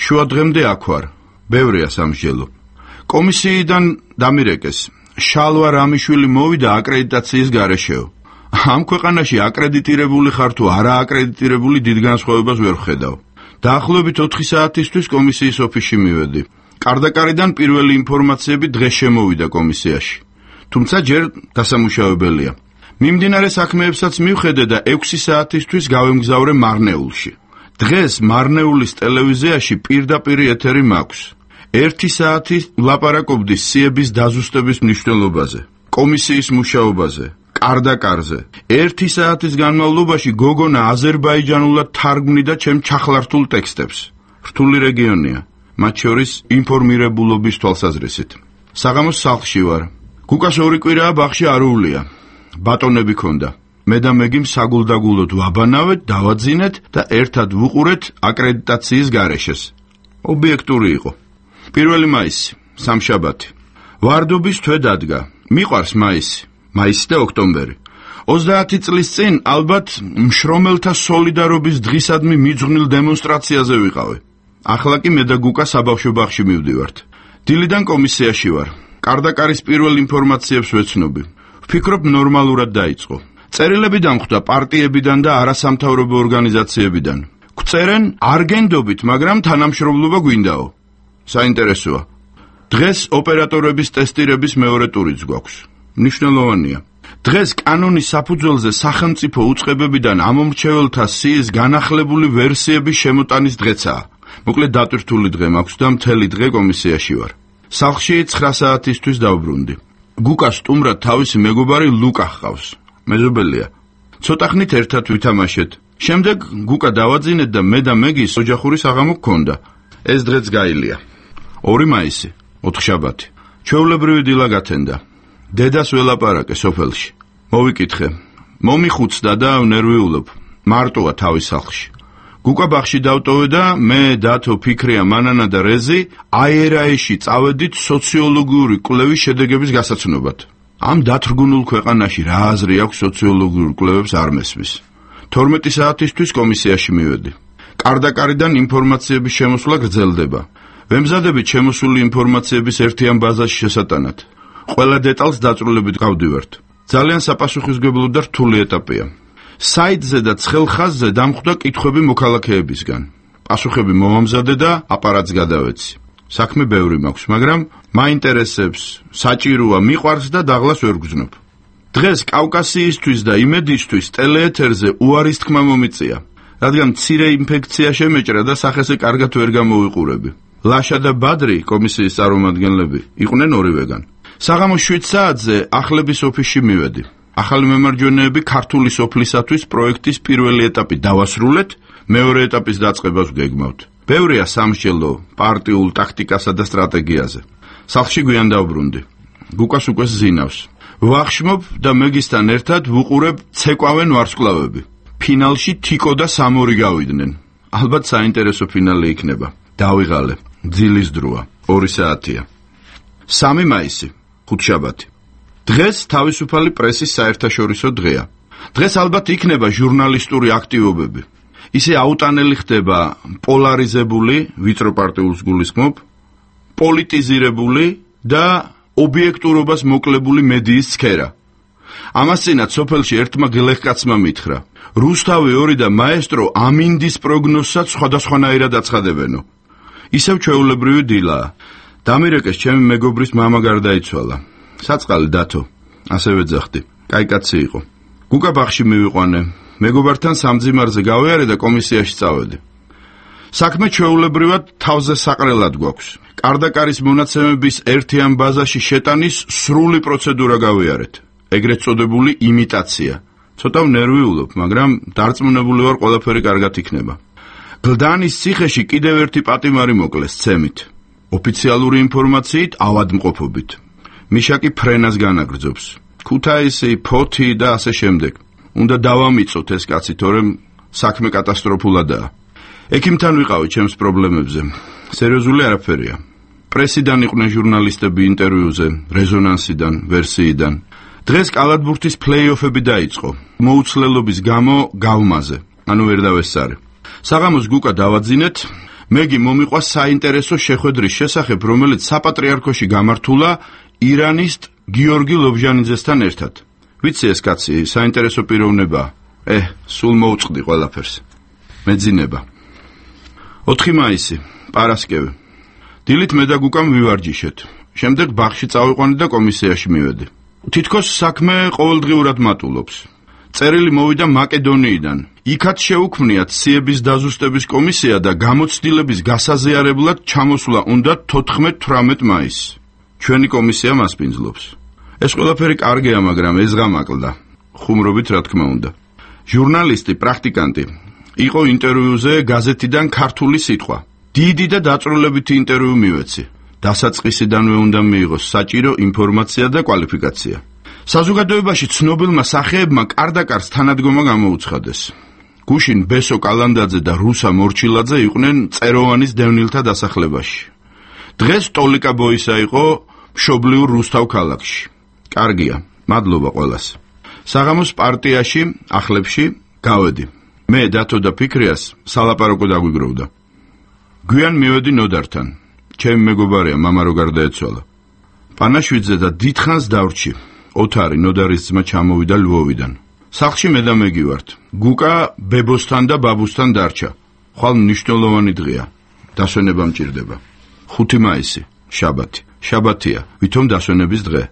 შუადღემდე აქ ვარ. ბევრია სამსჯელო. კომისიიდან დამირეკეს. შალვა რამიშვილი მოვიდა აკრედიტაციის გარეშეო. ამ ქვეყანაში აკრედიტირებული ხარ თუ არა აკრედიტირებული დიდ განსხვავებას ვერ ვხედავ. დაახლოებით 4 საათისთვის კომისიის ოფისში მივედი. კარდაკარიდან პირველი ინფორმაციები დღეს შემოვიდა კომისიაში. თუმცა ჯერ დასამუშავებელია. მიმდინარე საქმეებსაც მივხედე და 6 საათისთვის გავემგზავრე მარნეულში. დღეს მარნეულის ტელევიზიაში პირდაპირ ეთერი მაქვს. 1 საათი ვლაპარაკობდი სიების დაზუსტების მნიშვნელობაზე, კომისიის მუშაობაზე, კარდაკარზე. 1 საათის განმავლობაში გოგონა აზერბაიჯანულად თარგმნიდა ჩემ ჩახლართულ ტექსტებს. რთული რეგიონია, მათ შორის ინფორმირებულობის თვალსაზრისით. საღამოს სახლში ვარ. გუკას 2 კვირაა ბაღში არ უვლია. ბატონები ქონდა. მე და მეგიმ საგულდაგულოდ ვაბანავეთ, დავაძინეთ და ერთად ვუყურეთ აკრედიტაციის გარეშეს. ობიექტური იყო. 1 მაისი, სამშაბათი. ვარდობის თვე დადგა. მიყვარს მაისი. მაისი და ოქტომბერი. 30 წლის წინ ალბათ მშრომელთა სოლიდარობის დღისადმი მიძღვნილ დემონსტრაციაზე ვიყავი. ახლა კი მე და გუკა საბავშვო ბაღში მივდივართ. დილიდან კომისიაში ვარ. კარდაკარის პირველ ინფორმაციებს ვეცნობი. ვფიქრობ ნორმალურად დაიწყო. წერილები დამხვდა პარტიებიდან და არასამთავრობო ორგანიზაციებიდან. გვწერენ არგენდობით, მაგრამ თანამშრომლობა გვინდაო. საინტერესოა. დღეს ოპერატორების ტესტირების მეორე ტურიც გვაქვს. მნიშვნელოვანია. დღეს კანონის საფუძველზე სახელმწიფო უწყებებიდან ამომრჩეველთა სიის განახლებული ვერსიების შემოტანის დღეცაა. მოკლედ დატვირთული დღე მაქვს და მთელი დღე კომისიაში ვარ. სახლში 9 საათისთვის დავბრუნდი. გუკას სტუმრად თავისი მეგობარი ლუკა ჰყავს. მეზობელია. ცოტა ხნით ერთად ვითამაშეთ. შემდეგ გუკა დავაძინეთ და მე და მეგის ოჯახური საღამო გქონდა. ეს დღეც გაილია. 2 მაისი, ოთხშაბათი. ჩვეულებრივი დილა გათენდა. დედას ველაპარაკე სოფელში. მოვიკითხე. მომიხუცდა და ვნერვიულობ. მარტოა თავის სახლში. გუკა ბაღში დავტოვე და მე, დათო, ფიქრია, მანანა და რეზი აერაეში წავედით სოციოლოგიური კვლევის შედეგების გასაცნობად. ამ დათრგუნულ ქვეყანაში რა აზრი აქვს სოციოლოგიურ კვლევებს არ მესმის. 12 საათისთვის კომისიაში მივედი. კარდაკარიდან ინფორმაციების შემოსვლა გრძელდება. ვემზადებით შემოსული ინფორმაციების ერთიან ბაზაში შესატანად. ყველა დეტალს დაწვრილებით გავდივართ. ძალიან საპასუხისმგებლო და რთული ეტაპია. საიტზე და ცხელ ხაზზე დამხვდა კითხვები მოქალაქეებისგან. პასუხები მომამზადე და აპარატს გადავეცი. საქმე ბევრი მაქვს, მაგრამ მაინტერესებს, საჭიროა, მიყვარს და დაღლას ვერ გძნობ. დღეს კავკასიისთვის და იმედისთვის ტელეეთერზე უარის თქმა მომიწია, რადგან მცირე ინფექცია შემეჭრა და სახესე კარგად ვერ გამოვიყურები. ლაშა და ბადრი, კომისიის წარმომადგენლები, იყვნენ ორივეგან. საღამოს 7 საათზე ახლების ოფისში მივედი. ახალი მემარჯვენეები ქართული სოფლისათვის პროექტის პირველი ეტაპი დავასრულეთ, მეორე ეტაპის დაწყებას ვგეგმავთ. ბევრია სამსჯელო პარტიულ ტაქტიკასა და სტრატეგიაზე. სახლში გვიან დავბრუნდი. გუკას უკვე ზინავს. ვახშმობ და მეგისთან ერთად ვუყურებ ცეკვავენ ვარსკვლავები. ფინალში თიკო და სამორი გავიდნენ. ალბათ საინტერესო ფინალი იქნება. დავიღალე. ძილის დროა. 2 საათია. 3 მაისი, ხუთშაბათი. დღეს თავისუფალი პრესის საერთაშორისო დღეა. დღეს ალბათ იქნება ჟურნალისტური აქტივობები. ისე აუტანელი ხდება პოლარიზებული, ვიწრო პარტიულს გულისხმობ, პოლიტიზირებული და ობიექტურობას მოკლებული მედიის სფერა. ამასწინათ სოფელში ერთმა გლეხკაცმა მითხრა: რუსთავი 2 და მაესტრო ამინდის პროგნოზსაც სხვადასხვანაირად აცხადებენო. ისევ ჩვეულებრივი დილაა. დამირეკეს ჩემი მეგობრის მამა გარდაიცვალა. საწყალი დათო, ასევე ძახდი. კაი კაცი იყო. გუკა ბაღში მივიყვანე. მეგობართან სამძიმარზე გავიარე და კომისიაში წავედი. საქმე ჩვეულებრივად თავზე საყრელად გვაქვს. კარდაკარის მონაცემების ერთიან ბაზაში შეტანის სრული პროცედურა გავიარეთ. ეგრეთ წოდებული იმიტაცია. ცოტა ნერვიულობ, მაგრამ დარწმუნებული ვარ ყველაფერი კარგად იქნება. გლდანის ციხეში კიდევ ერთი პატიმარი მოკლეს ცემით. ოფიციალური ინფორმაციით ავადმყოფობით. მიშაკი ფრენას განაგრძობს. ქუთაისი, ფოთი და ასე შემდეგ. უნდა დავამიწოთ ეს კაცი, თორემ საქმე კატასტროფულადაა. ექიმთან ვიყავი ჩემს პრობლემებზე. სერიოზული არაფერია. პრესიდან იყვნენ ჟურნალისტები ინტერვიუზე, რეზონანსიდან, ვერსიიდან. დღეს კალათბურთის პლეი-ოფები დაიწყო. მოუცლელობის გამო გავმაზე, ანუ ვერ დავესწარი. საღამოს გუკა დავაძინეთ, მეგი მომიყვა საინტერესო შეხვედრის შესახებ, რომელიც საპატრიარქოში გამართულა ირანისტ გიორგი ლობჟანიძესთან ერთად. ვიცი ეს კაცი საინტერესო პიროვნებაა. სულ მოუწყდი ყველაფერს. მეძინება. 4 მაისი, პარასკევი. დილით მე და გუკამ ვივარჯიშეთ. შემდეგ ბაღში წავიყვანე და კომისიაში მივედი. თითქოს საქმე ყოველდღიურად მატულობს. წერილი მოვიდა მაკედონიიდან. იქაც შეუქმნიათ სიების დაზუსტების კომისია და გამოცდილების გასაზიარებლად ჩამოსვლა უნდა 14-18 მაისს. ჩვენი კომისია მასპინძლობს. ეს ყველაფერი კარგია, მაგრამ ეზღამაკლდა. ხუმრობით რა თქმა უნდა. ჟურნალისტი, პრაქტიკანტი. იყო ინტერვიუზე გაზეთიდან ქართული სიტყვა. დიდი და დაწვრილებითი ინტერვიუ მივეცი. დასაწყისიდანვე უნდა მიიღოს საჭირო ინფორმაცია და კვალიფიკაცია. საზოგადოებაში ცნობილმა სახეებმა კარდაკარს თანადგომა გამოუცხადეს. გუშინ ბესო კალანდაძე და რუსა მორჩილაძე იყვნენ წეროვანის დევნილთა დასახლებაში. დღეს ტოლიკა ბოისა იყო მშობლიურ რუსთავ ქალაქში. კარგია, მადლობა ყველას. საღამოს პარტიაში, ახლებში გავედი. მე დათო და ფიქრიას სალაპარაკო დაგვიგროვდა. გვიან მივედი ნოდართან. ჩემი მეგობარია, მამა რო გარდაეცვალა. პანაშვიძე და დიდხანს დავრჩი. ოთარი ნოდარის ძმა ჩამოვიდა ლვოვიდან. სახლში მე და მეგი ვართ. გუკა ბებოსთან და ბაბუსთან დარჩა. ხვალ მნიშვნელოვანი დღეა. დასვენება მჭირდება. 5 მაისი, შაბათი. შაბათია, ვითომ დასვენების დღე.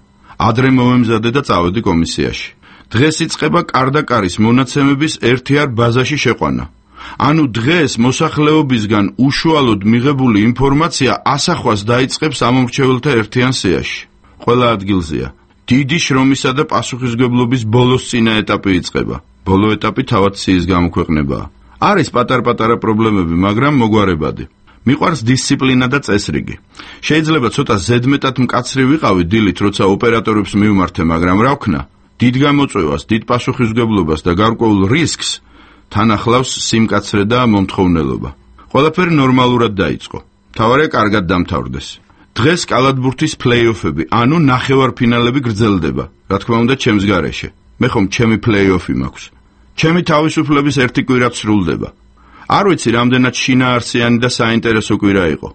ადრე მოვემზადე და წავედი კომისიაში. დღეს იწყება კარდაკარის მონაცემების ერთიარ ბაზაში შეყვანა. ანუ დღეს მოსახლეობისგან უშუალოდ მიღებული ინფორმაცია ასახვას დაიწყებს ამომრჩეველთა ერთიან სიაში. ყველა ადგილზეა. დიდი შრომისა და პასუხისმგებლობის ბოლოს წინა ეტაპი იწყება. ბოლო ეტაპი თავად სიის გამოქვეყნებაა. არის პატარ-პატარა პრობლემები, მაგრამ მოგვარებადი. მიყვარს დისციპლინა და წესრიგი. შეიძლება ცოტა ზედმეტად მკაცრი ვიყავი დილით, როცა ოპერატორებს მივმართე, მაგრამ რა ვქნა? დიდ გამოწვევას, დიდ პასუხისმგებლობას და გარკვეულ რისკს თან ახლავს სიმკაცრე და მომთხოვნელობა. ყველაფერი ნორმალურად დაიწყო. მთავარია კარგად დამთავრდეს. დღეს კალათბურთის პლეი-ოფები, ანუ ნახევარფინალები გრძელდება. რა თქმა უნდა, ჩემს გარეშე. მე ხომ ჩემი პლეი-ოფი მაქვს. ჩემი თავისუფლების ერთი კვირა სრულდება. არ ვიცი რამდენად შინაარსიანი და საინტერესო კვირა იყო.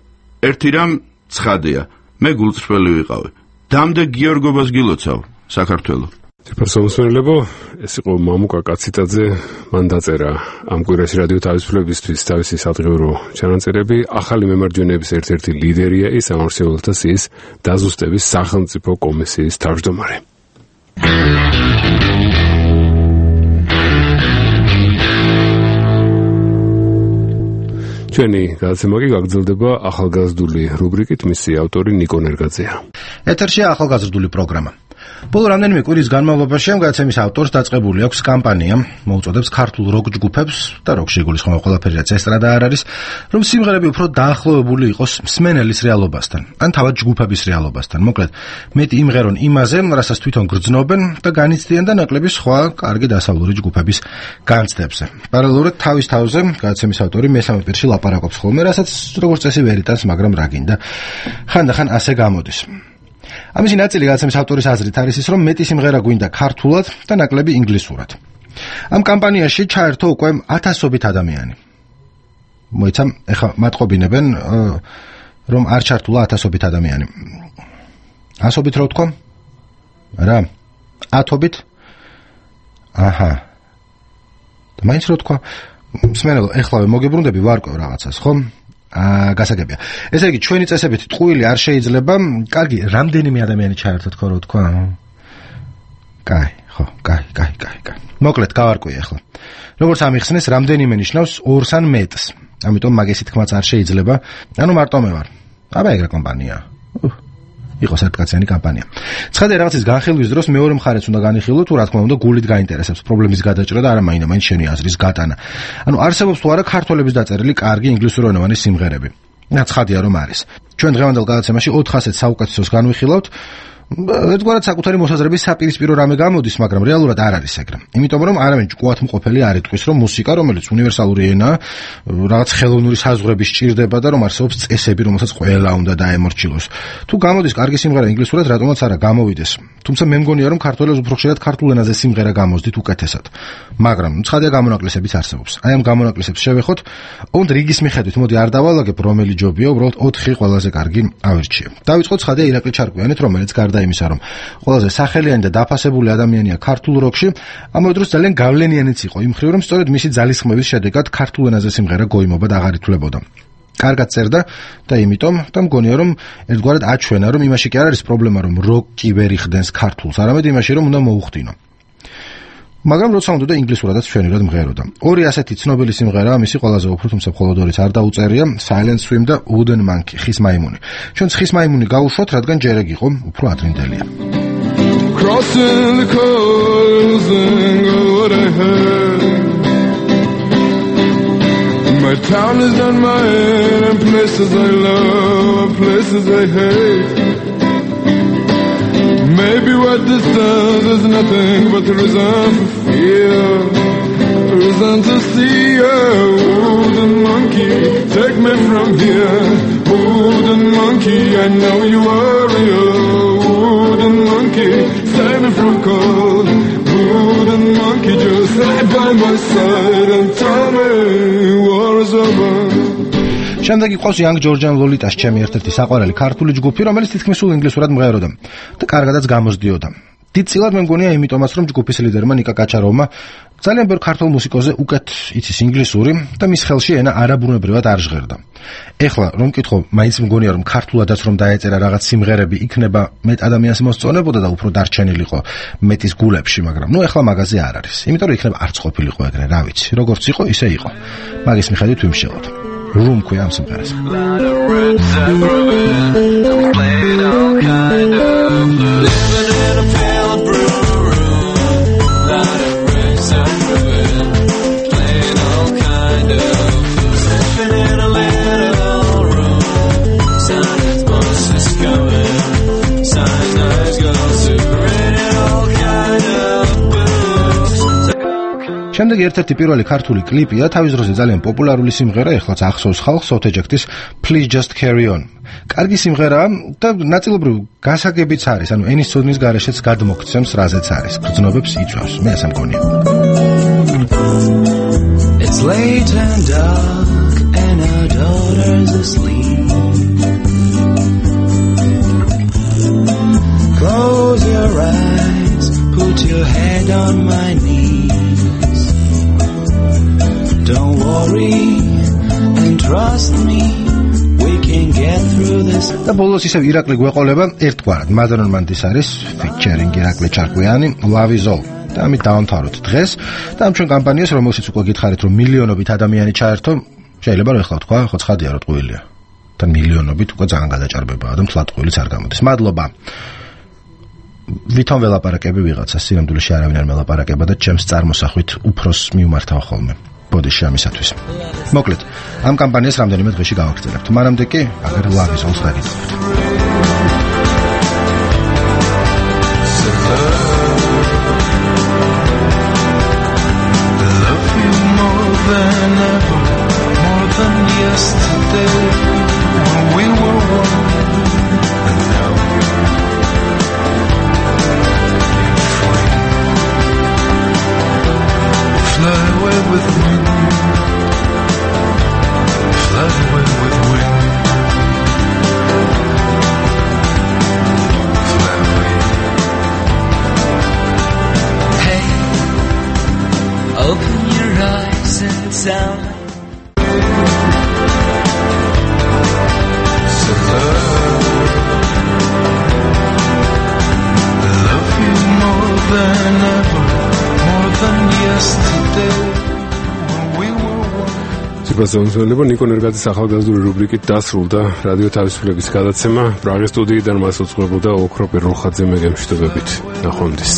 ერთი რამ ცხადია, მე გულწრფელი ვიყავი. დამდე გიორგობას გილოცავ, საქართველო. ფერსონალებო, ეს იყო მამუკა კაციტაძე, მან დაწერა ამ კვირაში რადიო თავისუფლებისთვის თავისი სადღეურო ჩანაწერები. ახალი მემარჯვენეების ერთ-ერთი ლიდერია ის ამორჩეველთა სიის დაზუსტების სახელმწიფო კომისიის თავმჯდომარე. ჩვენი გადაცემა კი გაგრძელდება ახალგაზრდული რუბრიკით, მისი ავტორი ნიკო ნერგაძეა. ეთერშია ახალგაზრდული პროგრამა. ბოლო რამდენიმე კვირის განმავლობაში ამ გადაცემის ავტორს დაწყებული აქვს კამპანია, მოუწოდებს ქართულ როკ ჯგუფებს და როკში იგულისხმება ყველაფერი, რაც ესტრადა არ არის, რომ სიმღერები უფრო დაახლოებული იყოს მსმენელის რეალობასთან, ან თავად ჯგუფების რეალობასთან. მოკლედ, მეტი იმღერონ იმაზე, რასაც თვითონ გრძნობენ და განიცდიან და ნაკლები სხვა კარგი დასავლური ჯგუფების განცდებზე. პარალელურად თავის თავზე გადაცემის ავტორი მესამე პირში ლაპარაკობს ხოლმე, რასაც როგორც წესი ვერ იტანს, მაგრამ რა გინდა, ხანდახან ასე გამოდის. ამისი ნაწილი გადაცემის ავტორის აზრით არის ის, რომ მეტი სიმღერა გვინდა ქართულად და ნაკლები ინგლისურად. ამ კამპანიაში ჩაერთო უკვე 1000-ობით ადამიანი. მოიცა, ეხლა მატყობინებენ, რომ არ ჩართულა 1000-ობით ადამიანი. 100-ობით რო ვთქვა? რა? 10-ობით? აჰა. და მაინც რო ვთქვა? მსმენელო, ეხლავე მოგებრუნდები ვარკვევ რაღაცას, ხო? გასაგებია. ესე იგი, ჩვენი წესებით ტყუილი არ შეიძლება, კარგი, რამდენიმე ადამიანი ჩაერთო თქო რო ვთქვა? კაი, ხო, კაი. მოკლედ, გავარკვიე ახლა. როგორც ამიხსნეს, რამდენიმე ნიშნავს 2-ს ან მეტს. ამიტომ მაგისი თქმაც არ შეიძლება. ანუ მარტო მე ვარ. აბა ეგრე კომპანია. იყოს ერთკაციანი კამპანია. ცხადია რაღაცის განხილვის დროს მეორე მხარეც უნდა განიხილო, თუ რა თქმა უნდა გულით გაინტერესებს პრობლემის გადაჭრა და არა მაინდა-მაინც შენი აზრის გატანა. ანუ არსებობს თუ არა ქართველების დაწერილი კარგი ინგლისურენოვანი სიმღერები. ცხადია რომ არის. ჩვენ დღევანდელ გადაცემაში 400 საუკეთესოს განვიხილავთ. ერთგვარად საკუთარი მოსაზრების საპირისპირო რამე გამოდის, მაგრამ რეალურად არ არის ეგრე. იმიტომ რომ არავინ ჭკუათმყოფელი არ იტყვის, რომ მუსიკა, რომელიც უნივერსალური ენაა, რაღაც ხელოვნური საზღვრები სჭირდება და რომ არსებობს წესები, რომელსაც ყველა უნდა დაემორჩილოს. თუ გამოდის კარგი სიმღერა ინგლისურად, რატომაც არა გამოვიდეს. თუმცა მე მგონია, რომ ქართველებს უფრო ხშირად ქართულ ენაზე სიმღერა გამოსდით უკეთესად. მაგრამ ცხადია გამონაკლისებიც არსებობს. აი ამ გამონაკლისებს შევეხოთ, ოღონდ რიგის მიხედვით, მოდი არ დავალაგებ რომელი ჯობია, უბრალოდ 4 ყველაზე კარგი ავირჩიე. დავიწყოთ ცხადია ირაკლი ჩარკვიანით, რომელიც გარდა იმისა, რომ ყველაზე სახელიანი და დაფასებული ადამიანია ქართულ როკში, ამავე დროს ძალიან გავლენიანიც იყო იმ მხრივ, რომ სწორედ მისი ძალისხმევის შედეგად ქართულ ენაზე სიმღერა გოიმობა და აღარ ითვლებოდა. კარგად წერდა და იმიტომ და მგონია, რომ ერთგვარად აჩვენა, რომ იმაში კი არ არის პრობლემა, რომ როკი ვერ იხდენს ქართულს, არამედ იმაში, რომ უნდა მოუხდინო. მაგრამ როცა უნდა და ინგლისურადაც ჩვენურად მღეროდა. ორი ასეთი ცნობილი სიმღერაა, მისი ყველაზე უფრო, თუმცა მხოლოდ ორიც არ დაუწერია, Silent Swim და Wooden Monkey, ხის მაიმუნი. ჩვენ ხის მაიმუნი გავუშვათ, რადგან ჯერეგ იყო უფრო ადრინდელია. Crossing the coals and what I heard. My town is not my own, and places I love, places I hate. Maybe what this does is nothing but the reason for fear, reason to see a wooden monkey take me from here. Wooden monkey, I know you are real. Wooden monkey, save me from cold. Wooden monkey, just lie by my side and tell me war is over. შემდეგ იყო Young Georgian Lolitas, ჩემი ერთ-ერთი საყვარელი ქართული ჯგუფი, რომელიც თითქმის სულ ინგლისურად მღეროდა და კარგადაც გამოსდიოდა. დიდწილად მე მგონია იმიტომაც, რომ ჯგუფის ლიდერმა ნიკა კაჩაროვმა ძალიან ბევრ ქართულ მუსიკოზე უკეთ იცის ინგლისური და მის ხელში ენა არაბუნებრივად არ ჟღერდა. ეხლა რომ მკითხო, მაინც მგონია, რომ ქართულადაც რომ დაეწერა რაღაც სიმღერები, იქნება მეტ ადამიანს მოსწონებოდა და უფრო დარჩენილიყო მეტის გულებში, მაგრამ ნუ ეხლა მაგაზე არ არის. იმიტომ რომ იქნება არც ყოფილიყო ეგრე, რა ვიცი, როგორც იყო, ისე იყო. მაგის მიხედვით ვიმშელოთ. Room ქვია ამ სიმღერას. შემდეგ ერთ-ერთი პირველი ქართული კლიპია, თავის დროზე ძალიან პოპულარული სიმღერა, ეხლაც ახსოვს ხალხს, Sothejectis Please Just Carry On. კარგი სიმღერაა და ნაწილობრივ გასაგებიც არის, ანუ ენის ცოდნის გარეშეც გადმოქცემს, რაზეც არის, გრძნობებს იწვევს. მე ასე მგონია. It's late and dark and our daughter's asleep. Close your eyes, put your head on my knee. Don't worry and trust me, we can get through this. და ბოლოს ისევ ირაკლი გვეყოლება ერთგვარად. Madonna Mandis არის featuring ირაკლი ჩარკვიანი, Love is all. და ამით დავამთავროთ დღეს და ამ ჩვენ კამპანიას, რომელშიც უკვე გითხარით, რომ მილიონობით ადამიანი ჩაერთო, შეიძლება რომ ეხლა თქვა, ხო ცხადია რომ ტყუილია. და მილიონობით უკვე ძალიან გადაჭარბებაა და მთლად ტყუილიც არ გამოდის. მადლობა. ვითომ ველაპარაკები ვიღაცას, სინამდვილეში არავინ არ მელაპარაკება და ჩემს წარმოსახვით უფროს მიუმართავ ხოლმე. ბოდიში ამისათვის. მოკლედ, ამ კამპანიას რამდენიმე დღეში გავაგრძელებთ. მანამდე კი, აგერ Love is all დაგიწყებთ. მოგესალმებით. ნიკო ნერგაძის ახალგაზრდული რუბრიკით დასრულდა რადიო თავისუფლების გადაცემა. პრაღის სტუდიიდან მას უძღვებოდა ოქრო პირველხაძე მეგემშვიდობებით. ნახვამდის.